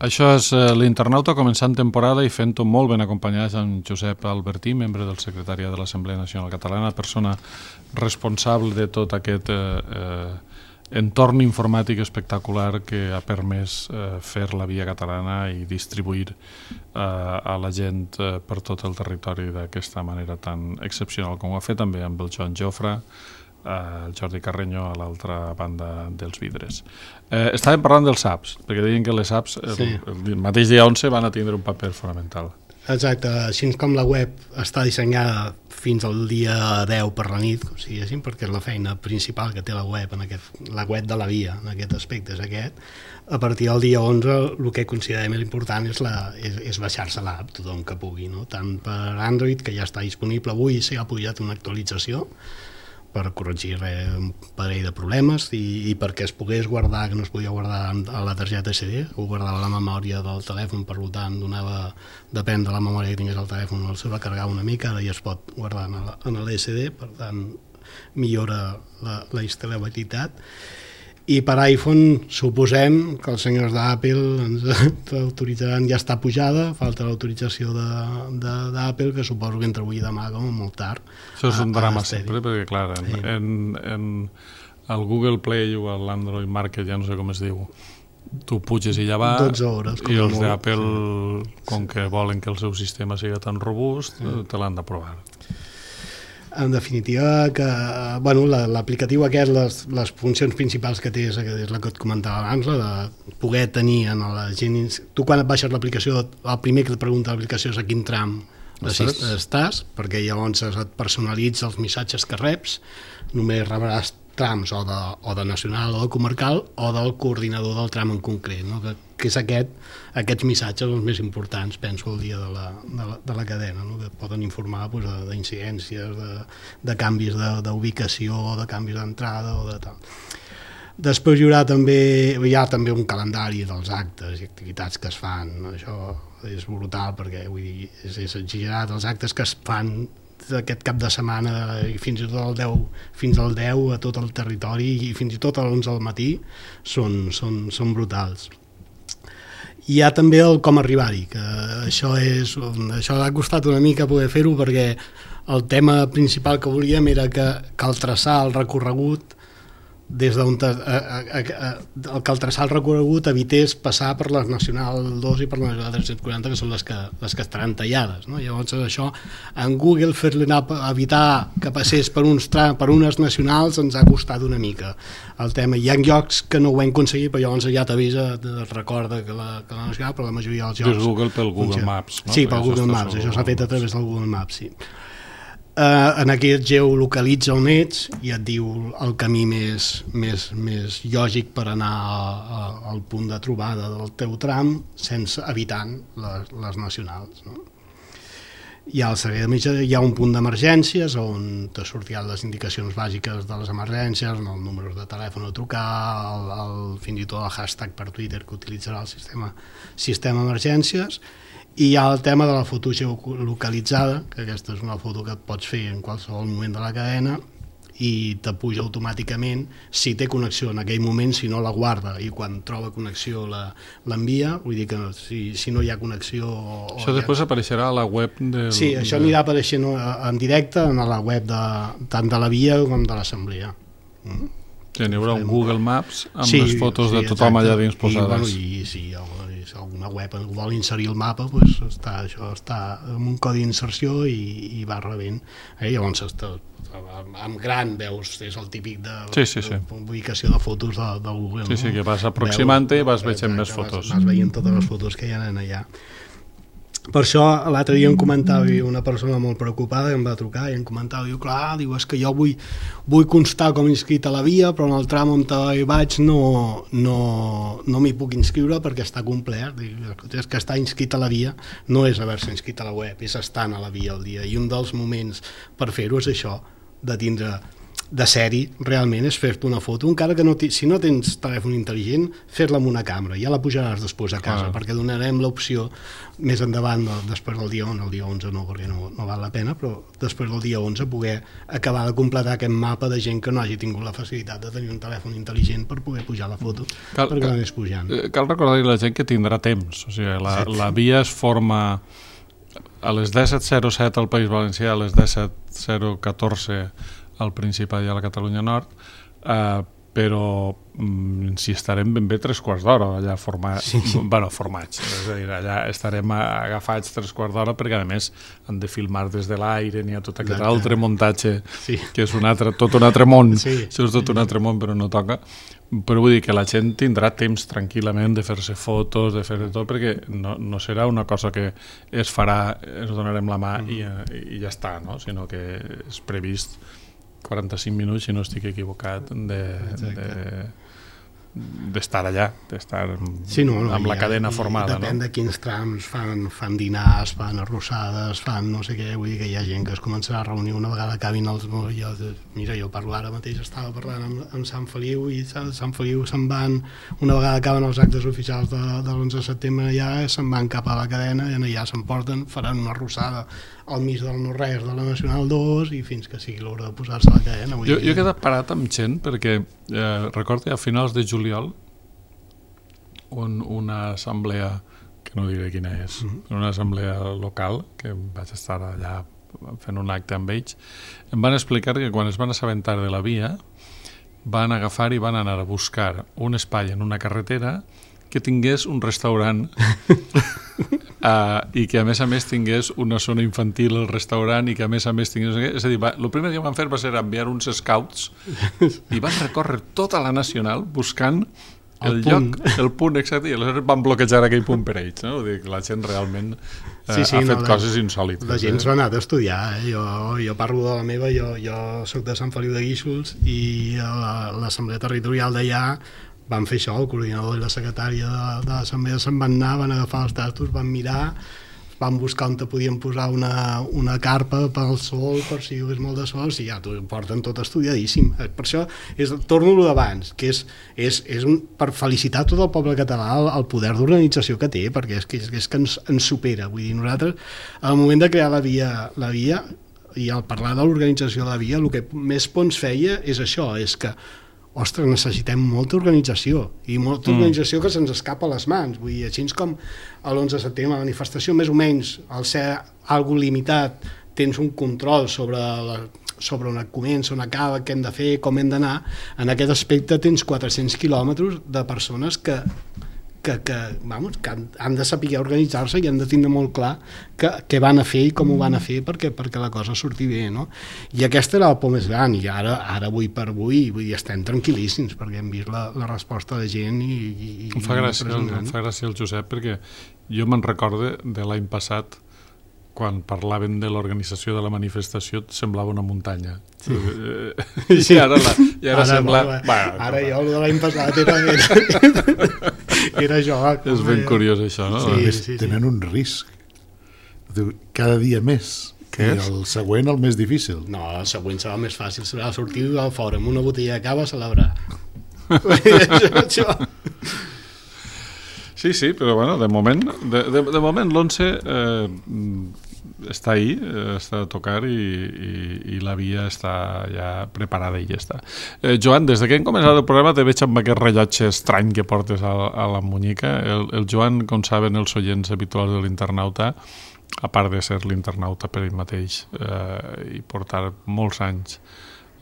Speaker 2: Això és eh, l'Internauta començant temporada i fent-ho molt ben acompanyats amb Josep Albertí, membre del secretariat de l'Assemblea Nacional Catalana, persona responsable de tot aquest eh, eh, entorn informàtic espectacular que ha permès eh, fer la via catalana i distribuir eh, a la gent eh, per tot el territori d'aquesta manera tan excepcional com ho ha fet també amb el Joan Jofre, el Jordi Carreño a l'altra banda dels vidres. Eh, estàvem parlant dels apps, perquè deien que les apps sí. el, el mateix dia onze van a tindre un paper fonamental.
Speaker 4: Exacte, així com la web està dissenyada fins al dia deu per la nit, com si diguéssim, perquè és la feina principal que té la web, en aquest, la web de la via, en aquest aspecte és aquest, a partir del dia onze el que considerem més important és, la, és, és baixar-se l'app, tothom que pugui, no? Tant per Android, que ja està disponible avui, s'ha pujat una actualització per corregir res, un parell de problemes i, i perquè es pogués guardar, que no es podia guardar a la targeta S D, ho guardava a la memòria del telèfon, per tant donava, depèn de la memòria que tingués el telèfon, el se va carregar una mica, ara ja es pot guardar en l'S D, per tant millora la, la instal·labilitat. I per iPhone suposem que els senyors d'Apple ens autoritzaran, ja està pujada, falta l'autorització d'Apple, que suposo que entre avui i demà com a molt tard.
Speaker 2: Això és un drama sempre, perquè clar, en, sí. en, en el Google Play o l'Android Market, ja no sé com es diu, tu puges i ja va,
Speaker 4: dotze hores,
Speaker 2: i els d'Apple, sí. com que volen que el seu sistema sigui tan robust, sí. te l'han d'aprovar.
Speaker 4: En definitiva, que bueno, l'aplicatiu aquest, les, les funcions principals que té és, és la que et comentava abans, la de poder tenir en la gent... Tu quan et baixes l'aplicació, el primer que et pregunta l'aplicació és a quin tram estàs? estàs, perquè llavors et personalitza els missatges que reps, només rebràs trams o de, o de nacional o de comarcal o del coordinador del tram en concret, no? que, que és aquest, aquests missatges els més importants, penso, el dia de la, de la, de la cadena, no? Que poden informar pues, d'incidències, de, de canvis d'ubicació, de, de canvis d'entrada o de tal. Després hi haurà també, hi ha també un calendari dels actes i activitats que es fan, això és brutal perquè vull dir, és, és exagerat, els actes que es fan aquest cap de setmana i fins i tot el deu, fins al deu a tot el territori i fins i tot a l'onze del matí són, són, són brutals. Hi ha també el com arribar-hi, que això, és, això ha costat una mica poder fer-ho perquè el tema principal que volíem era que cal traçar el recorregut des d'on el que al traçar el recorregut evités passar per les Nacional dos i per les Nacional tres-cents quaranta, que són les que, les que estaran tallades, no? Llavors això en Google fer-li anar a evitar que passés per, uns tra per unes nacionals ens ha costat una mica el tema. Hi ha llocs que no ho hem aconseguit, però llavors ja t'avisa, et recorda que la, que la nacional, però la majoria dels llocs...
Speaker 2: Des Google pel Google Maps, no?
Speaker 4: Sí, pel Google Maps, això s'ha fet a través del Google Maps, sí. Uh, en aquest geolocalitza on ets i et diu el camí més, més, més lògic per anar a, a, al punt de trobada del teu tram sense evitant les, les nacionals, no? Hi ha, el servei de mitja, hi ha un punt d'emergències on te sortiran les indicacions bàsiques de les emergències, el número de telèfon a trucar, el, el, fins i tot el hashtag per Twitter que utilitzarà el sistema, sistema emergències. I hi ha el tema de la foto geolocalitzada, que aquesta és una foto que et pots fer en qualsevol moment de la cadena i te puja automàticament si té connexió en aquell moment, si no la guarda i quan troba connexió l'envia, vull dir que si, si no hi ha connexió... O
Speaker 2: això després ha... apareixerà a la web del...
Speaker 4: Sí, això anirà apareixent en directe en la web de, tant de la via com de l'assemblea. Mm?
Speaker 2: Sí, n'hi haurà un Google Maps amb sí, les fotos sí, de tothom allà dins posades.
Speaker 4: I, bueno, i si sí, alguna web vol inserir el mapa, pues està, això està amb un codi d'inserció i, i va rebent. Eh? Llavors, està, amb gran veus, és el típic de,
Speaker 2: sí, sí, sí.
Speaker 4: de ubicació de fotos de, de Google.
Speaker 2: Sí, no? Sí, que vas aproximant-te i vas veient més fotos.
Speaker 4: Vas, vas veient totes les fotos que hi ha allà. Per això l'altre dia em comentava una persona molt preocupada que em va trucar i em comentava, diu, clar, diu, és que jo vull, vull constar com inscrit a la via, però en el tram on hi vaig no, no, no m'hi puc inscriure perquè està complet. Diu, és que estar inscrit a la via no és haver-se inscrit a la web, és estar a la via al dia. I un dels moments per fer-ho és això, de tindre de sèrie, realment, és fer-te una foto, encara que no si no tens telèfon intel·ligent, fer-la amb una càmera, ja la pujaràs després a casa, ah. perquè donarem l'opció més endavant, després del dia onze, el dia onze no, perquè no, no val la pena, però després del dia onze poder acabar de completar aquest mapa de gent que no hagi tingut la facilitat de tenir un telèfon intel·ligent per poder pujar la foto, cal, perquè l'anés pujant.
Speaker 2: Cal recordar a la gent que tindrà temps, o sigui, la, sí, la via es forma a les disset zero set al País Valencià, a les disset zero catorze al Principat i a la Catalunya Nord, eh, però mm, si estarem ben bé tres quarts d'hora allà formats, sí, sí. bueno, formats, és a dir, allà estarem agafats tres quarts d'hora perquè a més han de filmar des de l'aire, n'hi ha tot aquest Exacte. altre muntatge, sí. que és un altre, tot un altre món, sí. això és tot un altre món però no toca, però vull dir que la gent tindrà temps tranquil·lament de fer-se fotos, de fer de tot, perquè no, no serà una cosa que es farà, ens donarem la mà mm. i, i ja està, no? Sinó que és previst quaranta-cinc minuts, si no estic equivocat, de, de, d'estar allà, d'estar
Speaker 4: sí, no, no,
Speaker 2: amb la
Speaker 4: ja,
Speaker 2: cadena formada.
Speaker 4: Depèn
Speaker 2: no?
Speaker 4: de quins trams fan, fan dinars, fan arrossades, fan no sé què, vull dir que hi ha gent que es començarà a reunir una vegada acabin els... Jo, mira, jo parlo ara mateix, estava parlant amb, amb Sant Feliu i Sant, Sant Feliu se'n van, una vegada acaben els actes oficials de, de l'onze de setembre ja se'n van cap a la cadena i allà s'emporten, faran una arrossada al mig del no-res de la Nacional dos i fins que sigui l'hora de posar-se a la cadena.
Speaker 2: Jo, jo he quedat parat amb gent perquè eh, recordo a finals de juliol un, una assemblea, que no diré quina és, mm-hmm. una assemblea local, que vaig estar allà fent un acte amb ells, em van explicar que quan es van assabentar de la via van agafar i van anar a buscar un espai en una carretera que tingués un restaurant uh, i que a més a més tingués una zona infantil al restaurant i que a més a més tingués... És a dir, va, el primer que van fer va ser enviar uns scouts i van recórrer tota la Nacional buscant el, el lloc, el punt exacte, i aleshores van bloquejar aquell punt per ells, no? Vull dir que la gent realment eh, sí, sí, ha fet no, coses insòlites.
Speaker 4: La gent s'ha anat a estudiar, eh? jo, jo parlo de la meva, jo, jo soc de Sant Feliu de Guíxols i l'Assemblea Territorial d'allà van fer això, el coordinador i la secretària de, de l'assemblea se'n van anar, van agafar els tastos, van mirar, van buscar on te podien posar una, una carpa pel sol, per si hi hagués molt de sol, si ja t'ho porten tot estudiadíssim. Per això és, torno a lo d'abans, que és, és, és un, per felicitar tot el poble català el, el poder d'organització que té, perquè és que, és, és que ens, ens supera. Vull dir, nosaltres, al moment de crear la via, la via i al parlar de l'organització de la via, el que més pons feia és això, és que ostres, necessitem molta organització i molta mm. organització que se'ns escapa a les mans, vull dir, així com a l'onze de setembre la manifestació més o menys al ser algo limitat tens un control sobre, la, sobre on comença, on acaba, què hem de fer, com hem d'anar, en aquest aspecte tens quatre-cents quilòmetres de persones que que, que, vamos, que han, han de saber organitzar-se i han de tindre molt clar què van a fer i com ho van a fer perquè, perquè la cosa surti bé, no? I aquesta era el por més gran i ara, ara avui per avui vull dir, estem tranquil·líssims perquè hem vist la, la resposta de gent i, i,
Speaker 2: em, fa gràcia, el, em fa gràcia el Josep perquè jo me'n recorde de l'any passat quan parlaven de l'organització de la manifestació semblava una muntanya. Sí. I ara, la, i ara, ara sembla...
Speaker 4: Bueno, bueno, ara jo, el de l'any passat era, era, era jo.
Speaker 2: És ben curiós això, no?
Speaker 3: Sí, sí, sí. Tenen un risc. Cada dia més.
Speaker 2: Què
Speaker 3: és? El següent el més difícil.
Speaker 4: No, el següent serà el més fàcil. Serà sortir al fora amb una botella de cava a celebrar. això, això.
Speaker 2: Sí, sí, però bueno, de moment de, de, de moment l'onze eh, està ahí, eh, està a tocar i, i, i la via està ja preparada i ja està. Eh, Joan, des que hem començat el programa te veig amb aquest rellotge estrany que portes a, a la munyica. El, el Joan, com saben els oients habituals de l'Internauta, a part de ser l'Internauta per ell mateix eh, i portar molts anys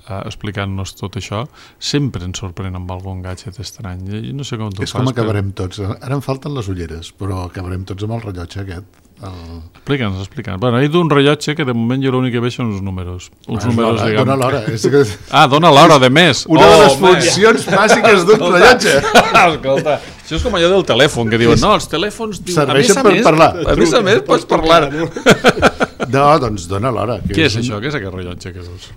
Speaker 2: Uh, explicant-nos tot això, sempre ens sorprèn amb algun gadget estrany. I no sé com tu
Speaker 3: és fas, com acabarem però... tots. Ara em falten les ulleres, però acabarem tots amb el rellotge aquest. El...
Speaker 2: Explica'ns, explica'ns. Bueno, he d'un rellotge que de moment jo l'únic que veig són uns números. Uns
Speaker 3: ah,
Speaker 2: números,
Speaker 3: dona,
Speaker 2: diguem...
Speaker 3: dona l'hora. És que...
Speaker 2: Ah, dona l'hora, de més.
Speaker 3: Una
Speaker 2: oh,
Speaker 3: de les funcions bàsiques d'un rellotge.
Speaker 2: Escolta, això és com allò del telèfon, que diuen, no, els telèfons... Diu,
Speaker 3: serveixen
Speaker 2: a
Speaker 3: per
Speaker 2: més,
Speaker 3: parlar.
Speaker 2: A més a més, pots parlar.
Speaker 3: No, doncs dona l'hora.
Speaker 2: Què és, és això? Un... Què és aquest rellotge que veus?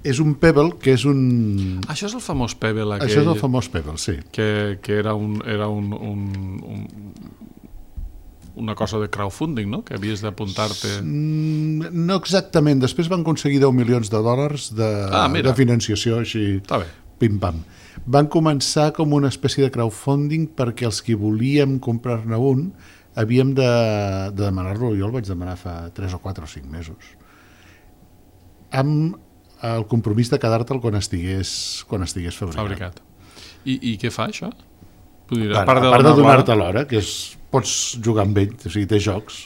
Speaker 3: És un Pebble, que és un...
Speaker 2: Això és el famós Pebble aquell...
Speaker 3: Això és el famós Pebble, sí.
Speaker 2: Que, que era, un, era un, un, un, una cosa de crowdfunding, no? Que havies d'apuntar-te...
Speaker 3: Mm, no exactament. Després van aconseguir deu milions de dòlars de, ah, de financiació, així...
Speaker 2: Està bé.
Speaker 3: Pim-pam. Van començar com una espècie de crowdfunding perquè els que volíem comprar-ne un havíem de, de demanar-lo. Jo el vaig demanar fa tres o quatre o cinc mesos. Amb el compromís de quedar-te'l quan estigués, quan estigués fabricat.
Speaker 2: fabricat. I, I què fa, això? Dir,
Speaker 3: a part de, a part de donar-te l'hora, que és, pots jugar amb ell, o sigui, té jocs,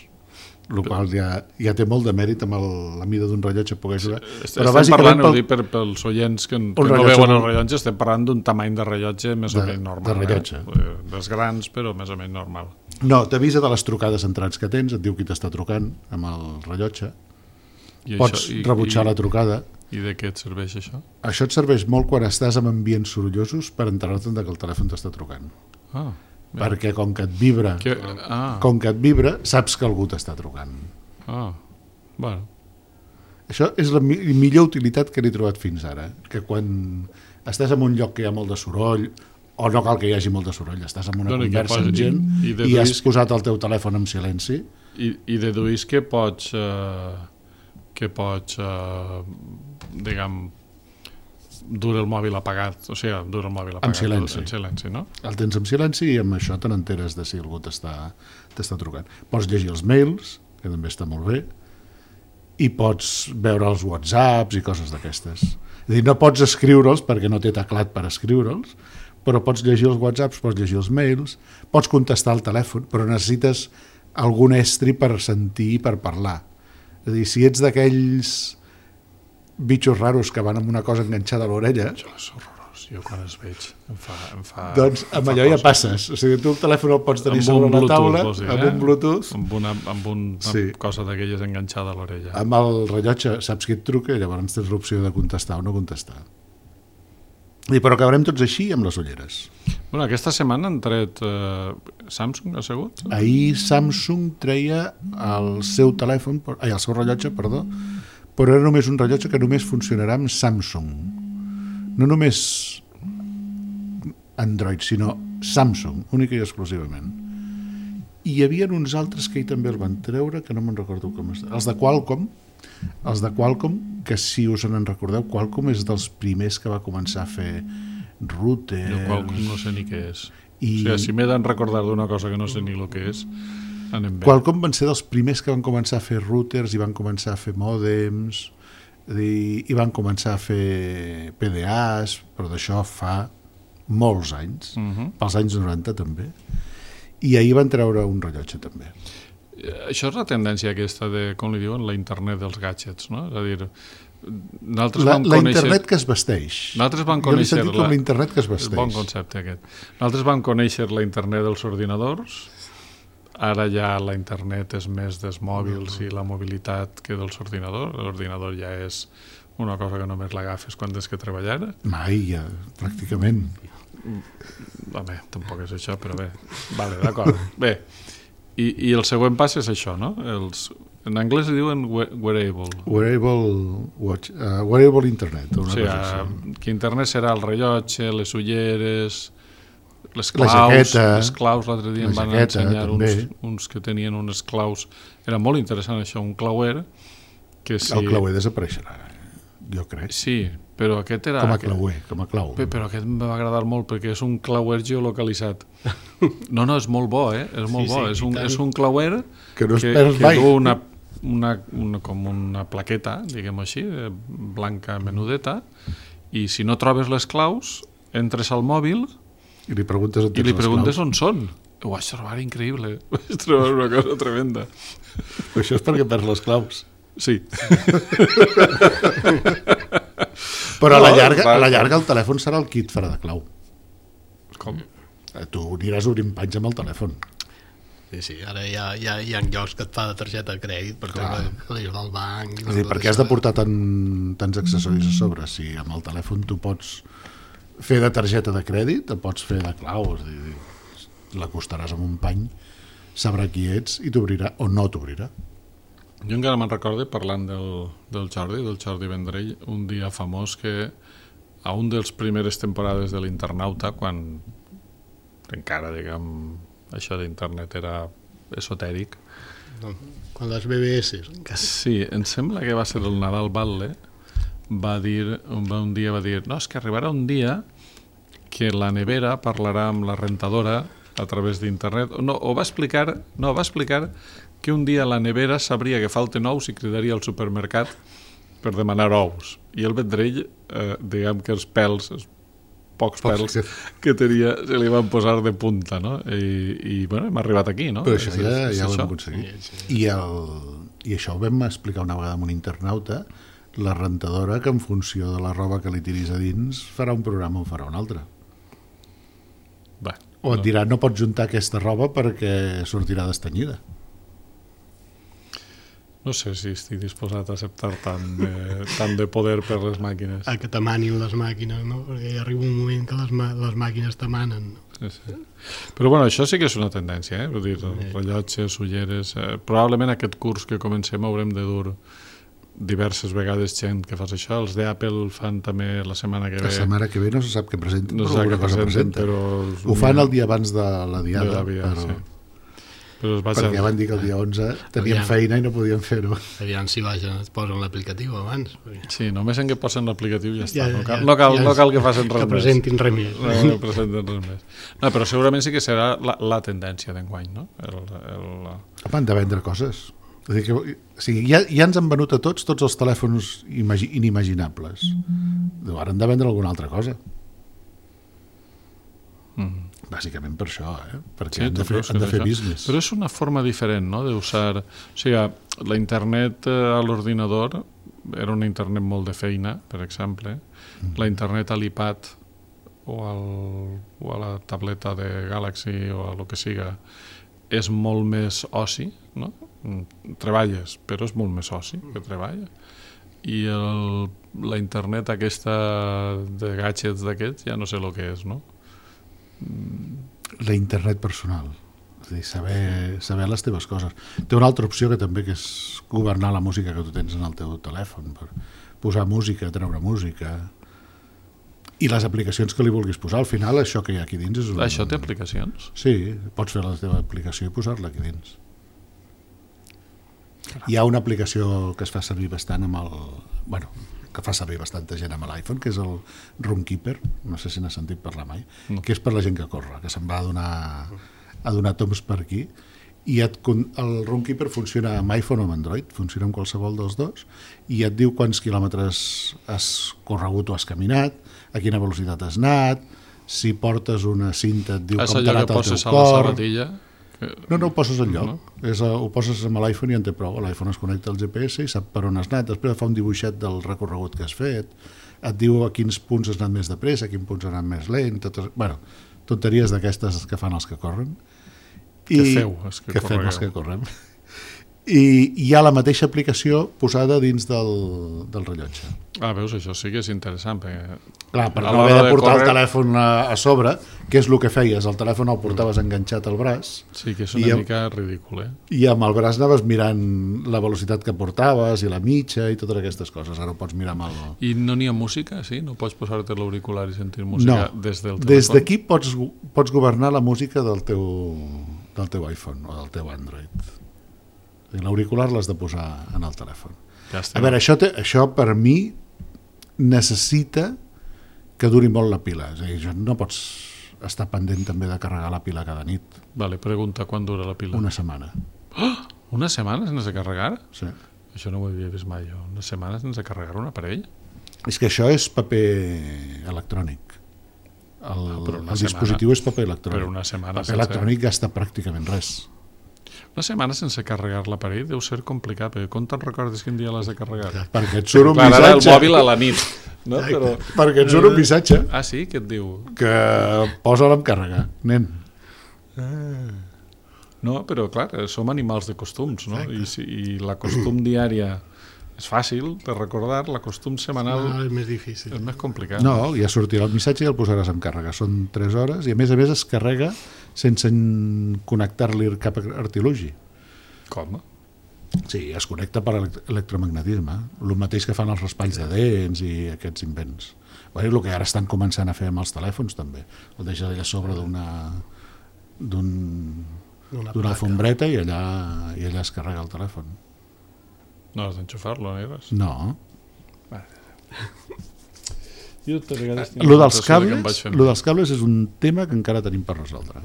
Speaker 3: el qual ja, ja té molt de mèrit amb el, la mida d'un rellotge poder jugar.
Speaker 2: Sí, però estem parlant, pel... per, pels oients que, que no veuen el rellotge, estem parlant d'un tamany de rellotge més de, o menys normal.
Speaker 3: De rellotge.
Speaker 2: Eh? Dels grans, però més o menys normal.
Speaker 3: No, t'avisa de les trucades entrants que tens, et diu qui t'està trucant amb el rellotge. I pots això, i, rebutjar i, la trucada.
Speaker 2: I de què et serveix això?
Speaker 3: Això et serveix molt quan estàs amb ambients sorollosos per enterar-te'n que el telèfon t'està trucant.
Speaker 2: Ah,
Speaker 3: perquè com que et vibra,
Speaker 2: que, ah.
Speaker 3: com que et vibra, saps que algú t'està trucant.
Speaker 2: Ah, bueno.
Speaker 3: Això és la mi millor utilitat que n'he trobat fins ara, que quan estàs en un lloc que hi ha molt de soroll o no cal que hi hagi molta soroll, estàs en una
Speaker 2: No, ni que
Speaker 3: conversa
Speaker 2: posi-
Speaker 3: amb gent
Speaker 2: i- i
Speaker 3: i,
Speaker 2: deduïsc-
Speaker 3: has posat el teu telèfon en silenci.
Speaker 2: I, i deduís que pots, eh, que pots, eh, diguem, dur el mòbil apagat, o sigui, dur el mòbil apagat.
Speaker 3: En silenci.
Speaker 2: En silenci, no?
Speaker 3: El tens en silenci i amb això te n'enteres de si algú t'està t'està trucant. Pots llegir els mails, que també està molt bé, i pots veure els whatsapps i coses d'aquestes. És a dir, no pots escriure'ls perquè no té teclat per escriure'ls, però pots llegir els whatsapps, pots llegir els mails, pots contestar al telèfon, però necessites algun estri per sentir i per parlar. És a dir, si ets d'aquells bitxos raros que van amb una cosa enganxada a l'orella,
Speaker 2: Això és horrorós, jo quan els veig em fa... Em fa
Speaker 3: doncs
Speaker 2: em
Speaker 3: amb
Speaker 2: fa
Speaker 3: allò ja
Speaker 2: cosa.
Speaker 3: passes. O sigui, tu el telèfon el pots tenir
Speaker 2: Amb
Speaker 3: sobre
Speaker 2: un
Speaker 3: la
Speaker 2: Bluetooth,
Speaker 3: taula,
Speaker 2: vols dir,
Speaker 3: amb
Speaker 2: eh?
Speaker 3: un Bluetooth,
Speaker 2: Amb una, amb una
Speaker 3: Sí.
Speaker 2: cosa d'aquelles enganxada a l'orella.
Speaker 3: amb el rellotge saps qui et truca i llavors tens l'opció de contestar o no contestar. I però acabarem tots així amb les ulleres.
Speaker 2: Bueno, aquesta setmana han tret eh, Samsung, ha sigut?
Speaker 3: Ahir Samsung treia el seu telèfon, ai, el seu rellotge, perdó, però era només un rellotge que només funcionarà amb Samsung. No només Android, sinó Samsung, única i exclusivament. I hi havia uns altres que ell també el van treure, que no me'n recordo com està. Els de Qualcomm, els de Qualcomm, que si us en recordeu, Qualcomm és dels primers que va començar a fer routers...
Speaker 2: Jo Qualcomm no sé ni què és.
Speaker 3: I...
Speaker 2: O sigui, si m'he de recordar d'una cosa que no sé ni el que és, anem bé.
Speaker 3: Qualcomm van ser dels primers que van començar a fer routers i van començar a fer mòdems i, i van començar a fer P D As, però d'això fa molts anys,
Speaker 2: Uh -huh.
Speaker 3: pels anys noranta també, i ahir van treure un rellotge també.
Speaker 2: Això és la tendència aquesta de, com li diuen, la internet dels gadgets, no? És a dir, nosaltres
Speaker 3: La,
Speaker 2: vam
Speaker 3: la
Speaker 2: conèixer...
Speaker 3: internet que es vesteix.
Speaker 2: Nosaltres vam
Speaker 3: Jo l'he
Speaker 2: conèixer
Speaker 3: sentit com
Speaker 2: la-
Speaker 3: la internet que es
Speaker 2: És
Speaker 3: vesteix.
Speaker 2: bon concepte aquest. Nosaltres vam conèixer la internet dels ordinadors, ara ja la internet és més dels mòbils i la mobilitat que dels ordinadors. L'ordinador ja és una cosa que només l'agafes quan tens que treballar.
Speaker 3: Mai, ja, pràcticament.
Speaker 2: Home, tampoc és això, però bé. Vale, d'acord. Bé, i, i el següent pas és això, no? Els, en anglès li diuen we- wearable.
Speaker 3: Wearable, watch, uh, wearable internet.
Speaker 2: O
Speaker 3: Una
Speaker 2: sigui,
Speaker 3: cosa així.
Speaker 2: que internet serà el rellotge, les ulleres, les
Speaker 3: La
Speaker 2: claus,
Speaker 3: jaqueta,
Speaker 2: les claus, l'altre dia
Speaker 3: la
Speaker 2: em van
Speaker 3: jaqueta,
Speaker 2: ensenyar uns,
Speaker 3: també.
Speaker 2: uns que tenien unes claus, era molt interessant això, un clauer, que si...
Speaker 3: El clauer desapareixerà, jo crec.
Speaker 2: Sí, però aquest era...
Speaker 3: Com a
Speaker 2: aquest-
Speaker 3: clauer, com a clau.
Speaker 2: Pe- Però aquest em va agradar molt perquè és un clauer geolocalitzat. No, no, és molt bo, eh? És molt
Speaker 4: Sí,
Speaker 2: bo.
Speaker 4: sí,
Speaker 2: és,
Speaker 4: i
Speaker 2: un,
Speaker 4: tant.
Speaker 2: és un clauer
Speaker 3: Que no es
Speaker 2: que,
Speaker 3: perd
Speaker 2: que
Speaker 3: mai.
Speaker 2: du una, una, una, com una plaqueta, diguem-ho així, eh, blanca menudeta, i si no trobes les claus, entres al mòbil
Speaker 3: I li preguntes on
Speaker 2: i
Speaker 3: tens
Speaker 2: li
Speaker 3: les
Speaker 2: preguntes
Speaker 3: claus.
Speaker 2: on són. Ho vaig trobar increïble. Ho vaig trobar una cosa tremenda.
Speaker 3: Això és perquè perds les claus.
Speaker 2: Sí.
Speaker 3: Però a la
Speaker 2: No,
Speaker 3: llarga,
Speaker 2: va,
Speaker 3: a la
Speaker 2: va.
Speaker 3: llarga el telèfon serà el kit farà de clau.
Speaker 2: Com?
Speaker 3: Eh, Tu aniràs obrint panys amb el telèfon.
Speaker 4: Sí, sí, ara hi ha, hi ha, hi ha llocs que et fa de targeta de crèdit per
Speaker 3: Clar.
Speaker 4: treure l'eix del banc.
Speaker 3: És a dir, per què has de portar tan, tants accessoris a sobre? Si amb el telèfon tu pots fer de targeta de crèdit, el pots fer de clau, és a dir, l'acostaràs amb un pany, sabrà qui ets i t'obrirà o no t'obrirà.
Speaker 2: Jo encara me'n recordo, parlant del, del Jordi, del Jordi Vendrell, un dia famós que a un dels primeres temporades de l'Internauta, quan encara, diguem, això d'internet era esotèric.
Speaker 4: No, quan les B B S.
Speaker 2: Sí, em sembla que va ser el Nadal Batlle, va dir, va un dia va dir, no, és que arribarà un dia que la nevera parlarà amb la rentadora a través d'internet. No, o va explicar, no, va explicar que un dia la nevera sabria que falten ous i cridaria al supermercat per demanar ous. I el Vendrell, eh, diguem que els pèls, els pocs pèls que tenia, se li van posar de punta, no? I, i bueno, hem arribat aquí, no?
Speaker 3: Però això
Speaker 2: És-
Speaker 3: ja,
Speaker 2: és
Speaker 3: ja ho
Speaker 2: això.
Speaker 3: hem aconseguit. I, el, I això ho vam explicar una vegada amb un internauta, la rentadora que en funció de la roba que li tiris a dins farà un programa o farà un altre.
Speaker 2: Va,
Speaker 3: O et
Speaker 2: no.
Speaker 3: dirà no pots juntar aquesta roba perquè sortirà destenyida.
Speaker 2: No sé si estic disposat a acceptar tant de, tant de poder per les màquines.
Speaker 4: A que t'amanin les màquines, no? Perquè hi arriba un moment que les, les màquines t'emanen. No?
Speaker 2: Sí, sí. Però bueno, això sí que és una tendència, eh? Vull dir, rellotges, ulleres... Eh, probablement aquest curs que comencem haurem de dur diverses vegades gent que fas això, els d'Apple fan també la setmana que ve...
Speaker 3: La setmana que ve no se sap què presenten,
Speaker 2: no
Speaker 3: però alguna cosa
Speaker 2: presenten,
Speaker 3: presenten.
Speaker 2: Però...
Speaker 3: Ho fan el dia abans de la diada,
Speaker 2: de la via,
Speaker 3: però...
Speaker 2: sí. Però es
Speaker 3: perquè van dir que el dia onze tenien feina i no podien fer-ho.
Speaker 4: Aviam si baixen, es posen l'aplicatiu abans.
Speaker 2: Sí, només en què posen l'aplicatiu ja està.
Speaker 4: Ja,
Speaker 2: no, cal,
Speaker 4: ja,
Speaker 2: no, cal,
Speaker 4: ja,
Speaker 2: no cal que facin res
Speaker 4: que presentin res més.
Speaker 2: No, no presentin res més. No, però segurament sí que serà la, la tendència d'enguany, no? El, el...
Speaker 3: Han de vendre coses. És a dir, que, o sigui, ja, ja ens han venut a tots tots els telèfons imagi, inimaginables. Mm-hmm. Ara han de vendre alguna altra cosa. Mm. Bàsicament per això, eh? Perquè sí, han de fer, han de fer business.
Speaker 2: Però és una forma diferent, no?, d'usar... O sigui, la internet a l'ordinador era una internet molt de feina, per exemple. Mm. La internet a l'iPad o, al, o a la tableta de Galaxy o a lo que siga és molt més oci, no? Treballes, però és molt més oci que treballa. I el, la internet aquesta de gadgets d'aquests ja no sé el que és, no?
Speaker 3: La internet personal, és a dir, saber, saber les teves coses. Té una altra opció que també, que és governar la música que tu tens en el teu telèfon, per posar música, treure música i les aplicacions que li vulguis posar. Al final això que hi ha aquí dins és un...
Speaker 2: Això té aplicacions?
Speaker 3: Sí, pots fer la teva aplicació i posar-la aquí dins. Hi ha una aplicació que es fa servir bastant amb el... Bueno, que fa servir bastanta gent amb l'iPhone, que és el Runkeeper, no sé si n'has sentit parlar mai, no. Que és per la gent que corre, que se'n va a donar, a donar toms per aquí, i et, el Runkeeper funciona amb iPhone o amb Android, funciona amb qualsevol dels dos, i et diu quants quilòmetres has corregut o has caminat, a quina velocitat has anat, si portes una cinta et diu com t'ha anat el teu cor...
Speaker 2: La sabatilla...
Speaker 3: No, no ho poses enlloc, no? És, ho poses amb l'iPhone i en té prou. L'iPhone es connecta al G P S i sap per on has anat, després fa un dibuixet del recorregut que has fet, et diu a quins punts has anat més de pressa, a quins punts has anat més lent, totes, bueno, tonteries d'aquestes que fan els que corren.
Speaker 2: I, que feu, els que,
Speaker 3: que fem els que correm. I hi ha la mateixa aplicació posada dins del, del rellotge.
Speaker 2: Ah, veus, això sí que és interessant. Perquè
Speaker 3: clar, per no haver de portar correr... el telèfon a, a sobre, que és el que feies, el telèfon el portaves enganxat al braç.
Speaker 2: Sí, que és una amb, mica ridícul, eh?
Speaker 3: I amb el braç anaves mirant la velocitat que portaves i la mitja i totes aquestes coses. Ara ho pots mirar amb el...
Speaker 2: I no n'hi ha música, sí? No pots posar-te l'auricular i sentir música
Speaker 3: no,
Speaker 2: des del telèfon?
Speaker 3: Des d'aquí pots, pots governar la música del teu, del teu iPhone o del teu Android. L'auricular l'has de posar en el telèfon.
Speaker 2: Ja
Speaker 3: a veure, això, te, això per mi necessita que duri molt la pila. És a dir, no pots estar pendent també de carregar la pila cada nit.
Speaker 2: Vale, pregunta, quan dura la pila?
Speaker 3: Una setmana.
Speaker 2: Oh, una setmana sense carregar?
Speaker 3: Sí.
Speaker 2: Això no ho havia vist mai jo. Una setmana sense carregar un aparell?
Speaker 3: És que això és paper electrònic. El, ah, el dispositiu és paper electrònic.
Speaker 2: Però una setmana
Speaker 3: paper sense... electrònic gasta pràcticament res.
Speaker 2: Una setmana sense carregar l'aparell deu ser complicat, perquè com te'n recordes quin dia l'has de carregar?
Speaker 3: Perquè et surt un
Speaker 2: clar,
Speaker 3: missatge.
Speaker 2: El mòbil a la nit. No? Però...
Speaker 3: Perquè et surt un missatge.
Speaker 2: Ah, sí? Què et diu?
Speaker 3: Que posa-la en càrrega, nen.
Speaker 2: Ah. No, però clar, som animals de costums, no? I, si, i la costum diària és fàcil de recordar, la costum setmanal
Speaker 4: no, és més difícil.
Speaker 2: És més complicat.
Speaker 3: No, ja sortirà el missatge i el posaràs en càrrega. Són tres hores i a més a més es carrega sense connectar-li cap artilugi.
Speaker 2: Com?
Speaker 3: Sí, es connecta per electromagnetisme, el mateix que fan els raspalls de dents i aquests invents. Bueno, el que ara estan començant a fer amb els telèfons també, el deixa allà a sobre d'una d'una un, alfombreta i allà, i allà es carrega el telèfon.
Speaker 2: No has d'enxufar-lo, Neves?
Speaker 3: No.
Speaker 2: Jo
Speaker 3: lo dels cables, lo dels cables és un tema que encara tenim per resoldre.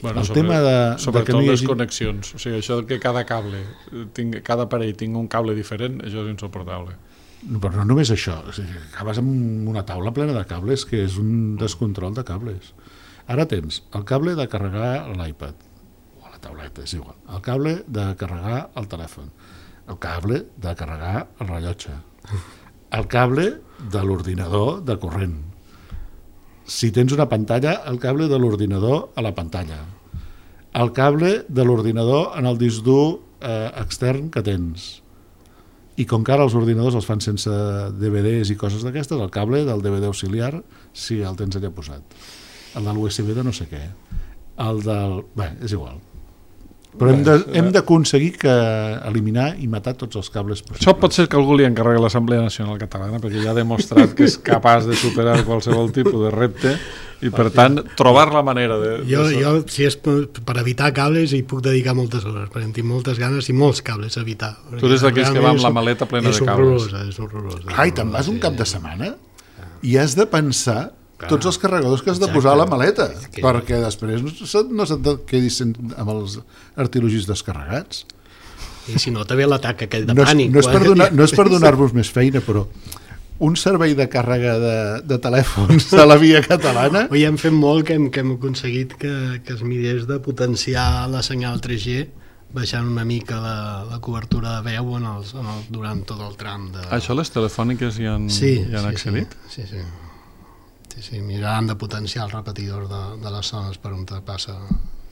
Speaker 2: Bueno,
Speaker 3: el
Speaker 2: sobre,
Speaker 3: tema de,
Speaker 2: sobretot
Speaker 3: de que no hi
Speaker 2: les
Speaker 3: hagi...
Speaker 2: connexions, o sigui, això que cada cable tingui, cada aparell tingui un cable diferent, això és insuportable.
Speaker 3: No, però no només això, o sigui, acabes amb una taula plena de cables que és un descontrol de cables. Ara tens el cable de carregar l'iPad o la tauleta, és igual, el cable de carregar el telèfon, el cable de carregar el rellotge, el cable de l'ordinador de corrent. Si tens una pantalla, el cable de l'ordinador a la pantalla. El cable de l'ordinador en el disc dur eh, extern que tens. I com que ara els ordinadors els fan sense D V Ds i coses d'aquestes, el cable del D V D auxiliar, sí, el tens allà posat. El de l'U S B de no sé què. El del... Bé, és igual. Però hem, de, hem d'aconseguir que eliminar i matar tots els cables possibles.
Speaker 2: Això pot ser que algú li encarregui l'Assemblea Nacional Catalana, perquè ja ha demostrat que és capaç de superar qualsevol tipus de repte i, per tant, trobar la manera de...
Speaker 4: Jo,
Speaker 2: de...
Speaker 4: jo si és per evitar cables, hi puc dedicar moltes hores, perquè en tinc moltes ganes i molts cables a evitar.
Speaker 2: Tu eres d'aquells que va amb la maleta plena de cables.
Speaker 4: És horrorosa, és horrorosa.
Speaker 3: Ai, te'n vas un cap de setmana i has de pensar tots els carregadors que has de posar a la maleta, que... perquè després no se't, no se't quedis amb els artilogis descarregats.
Speaker 4: I si no, també l'atac aquell de
Speaker 3: no és,
Speaker 4: pànic.
Speaker 3: No és per donar, no és per donar-vos més feina, però un servei de càrrega de, de telèfons a la via catalana...
Speaker 4: Oi, hem fet molt que hem, que hem aconseguit que, que es mirés de potenciar la senyal tres G baixant una mica la, la cobertura de veu en els, en el, durant tot el tram. De...
Speaker 2: Això les telefòniques hi han,
Speaker 4: sí,
Speaker 2: hi han
Speaker 4: sí,
Speaker 2: accedit?
Speaker 4: Sí, sí. sí. Sí, sí, miraran de potenciar el repetidor de, de les zones per on passa,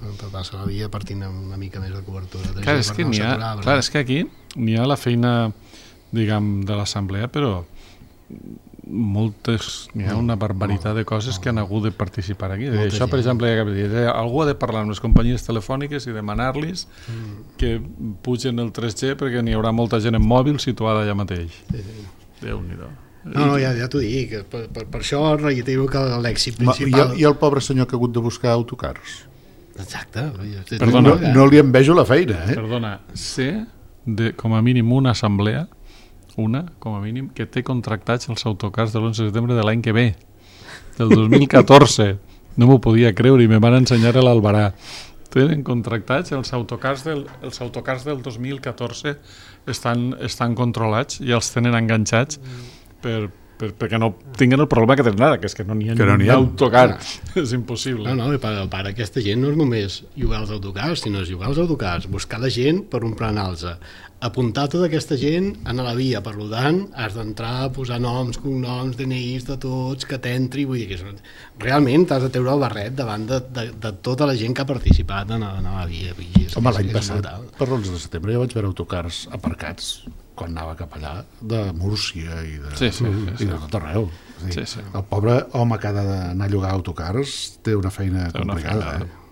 Speaker 4: on passa la via per tenir una mica més de cobertura.
Speaker 2: Clar, és que, no ha, aturar, clar és que aquí n'hi ha la feina, diguem, de l'assemblea, però moltes, n'hi ha una barbaritat de coses que han hagut de participar aquí. Moltes Això, per exemple, algú ha de parlar amb les companyies telefòniques i demanar-los mm. que pugen el tres G perquè n'hi haurà molta gent en mòbil situada allà mateix. Sí, sí. Déu-n'hi-do.
Speaker 4: No, no, ja, ja t'ho dic, per, per, per això reitero que l'èxit principal...
Speaker 3: I, I el pobre senyor que ha hagut de buscar autocars.
Speaker 4: Exacte.
Speaker 3: Perdona, no, no li envejo la feina, eh?
Speaker 2: Perdona, sé de, com a mínim una assemblea, una, com a mínim, que té contractats els autocars de l'onze de setembre de l'any que ve, del dos mil catorze. No m'ho podia creure i me van ensenyar a l'Albarà. Tenen contractats els autocars del, els autocars del dos mil catorze estan, estan controlats i els tenen enganxats per, per, perquè no tinguin el problema que tenen ara, que és que no n'hi ha
Speaker 3: no
Speaker 2: ni autocar. És impossible.
Speaker 4: No, no, i per, per aquesta gent no és només jugar als autocars, sinó és jugar als autocars, buscar la gent per omprenar-los, apuntar tota aquesta gent a la via, per tant, has d'entrar, posar noms, cognoms, D N Is de tots, que t'entri, vull dir que és... realment t'has de treure el barret davant de, de, de tota la gent que ha participat en, en la via. És,
Speaker 3: Home, l'any passat, per l'onze de setembre, ja vaig veure autocars aparcats quan anava cap allà, de Múrcia i de,
Speaker 2: sí, sí, sí,
Speaker 3: i de tot arreu. Sí,
Speaker 2: sí, sí.
Speaker 3: El pobre home que ha d'anar a llogar autocars té una feina té complicada. Una feina. Eh?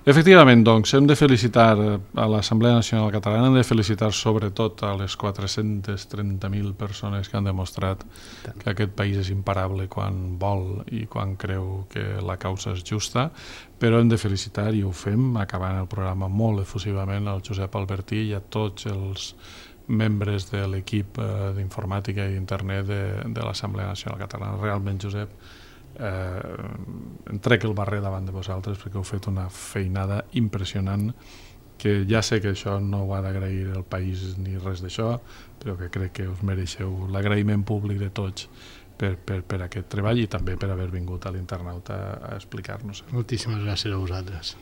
Speaker 2: Efectivament, doncs, hem de felicitar a l'Assemblea Nacional Catalana, hem de felicitar sobretot a les quatre-cents trenta mil persones que han demostrat que aquest país és imparable quan vol i quan creu que la causa és justa, però hem de felicitar, i ho fem, acabant el programa molt efusivament, al Josep Albertí i a tots els membres de l'equip eh, d'informàtica i d'internet de, de l'Assemblea Nacional Catalana. Realment, Josep, eh, em trec el barret davant de vosaltres perquè heu fet una feinada impressionant, que ja sé que això no ho ha d'agrair el país ni res d'això, però que crec que us mereixeu l'agraïment públic de tots per, per, per aquest treball i també per haver vingut a l'internauta a explicar-nos.
Speaker 4: Moltíssimes gràcies a vosaltres.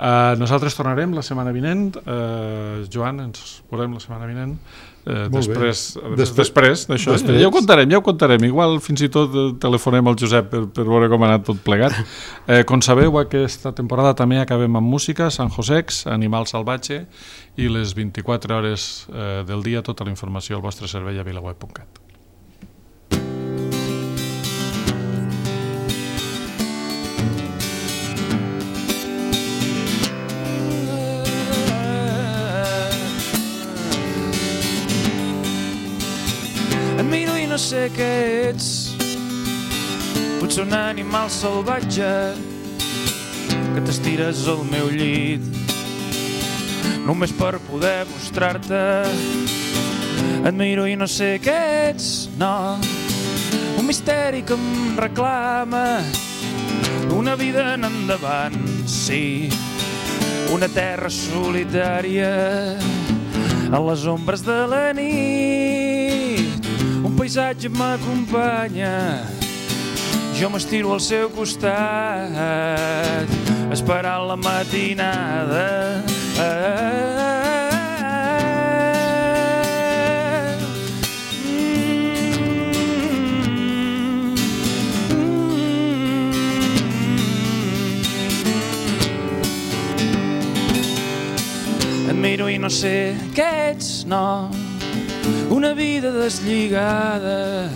Speaker 2: Uh, nosaltres tornarem la setmana vinent. uh, Joan, ens veurem la setmana vinent uh, després, des, després d'això. Ja ho contarem, ja ho contarem. Igual fins i tot telefonem al Josep per, per veure com ha anat tot plegat. uh, Com sabeu, aquesta temporada també acabem amb música, San Josex, Animal Salvatge i les vint-i-quatre hores uh, del dia, tota la informació al vostre servei a vilaweb punt cat.
Speaker 10: No sé què ets, potser un animal salvatge que t'estires al meu llit només per poder mostrar-te. Et miro i no sé què ets, no, un misteri que em reclama una vida en endavant, sí, una terra solitària a les ombres de la nit. Un paisatge m'acompanya, jo m'estiro al seu costat, esperant la matinada. Et miro i no sé què ets, no, una vida deslligada.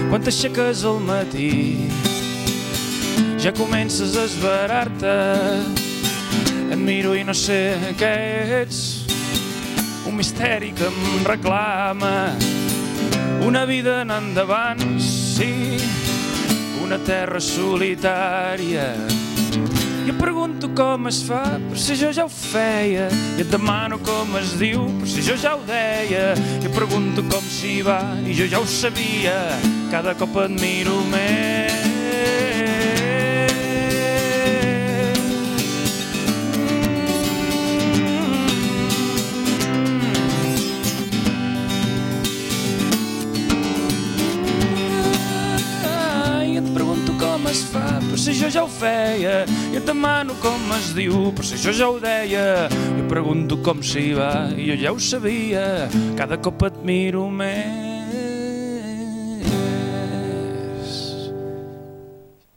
Speaker 10: Quan t'aixeques al matí ja comences a esverar-te Et miro i no sé què ets, un misteri que em reclama, una vida en endavant, sí, una terra solitària. I et pregunto com es fa, per si jo ja ho feia, i et demano com es diu, per si jo ja ho deia. I et pregunto com s'hi va, i jo ja ho sabia, cada cop et miro més. Es fa, per si jo ja ho feia, i et demano com es diu, per si jo ja ho deia. I pregunto com s'hi va, i jo ja ho sabia, cada cop et miro més.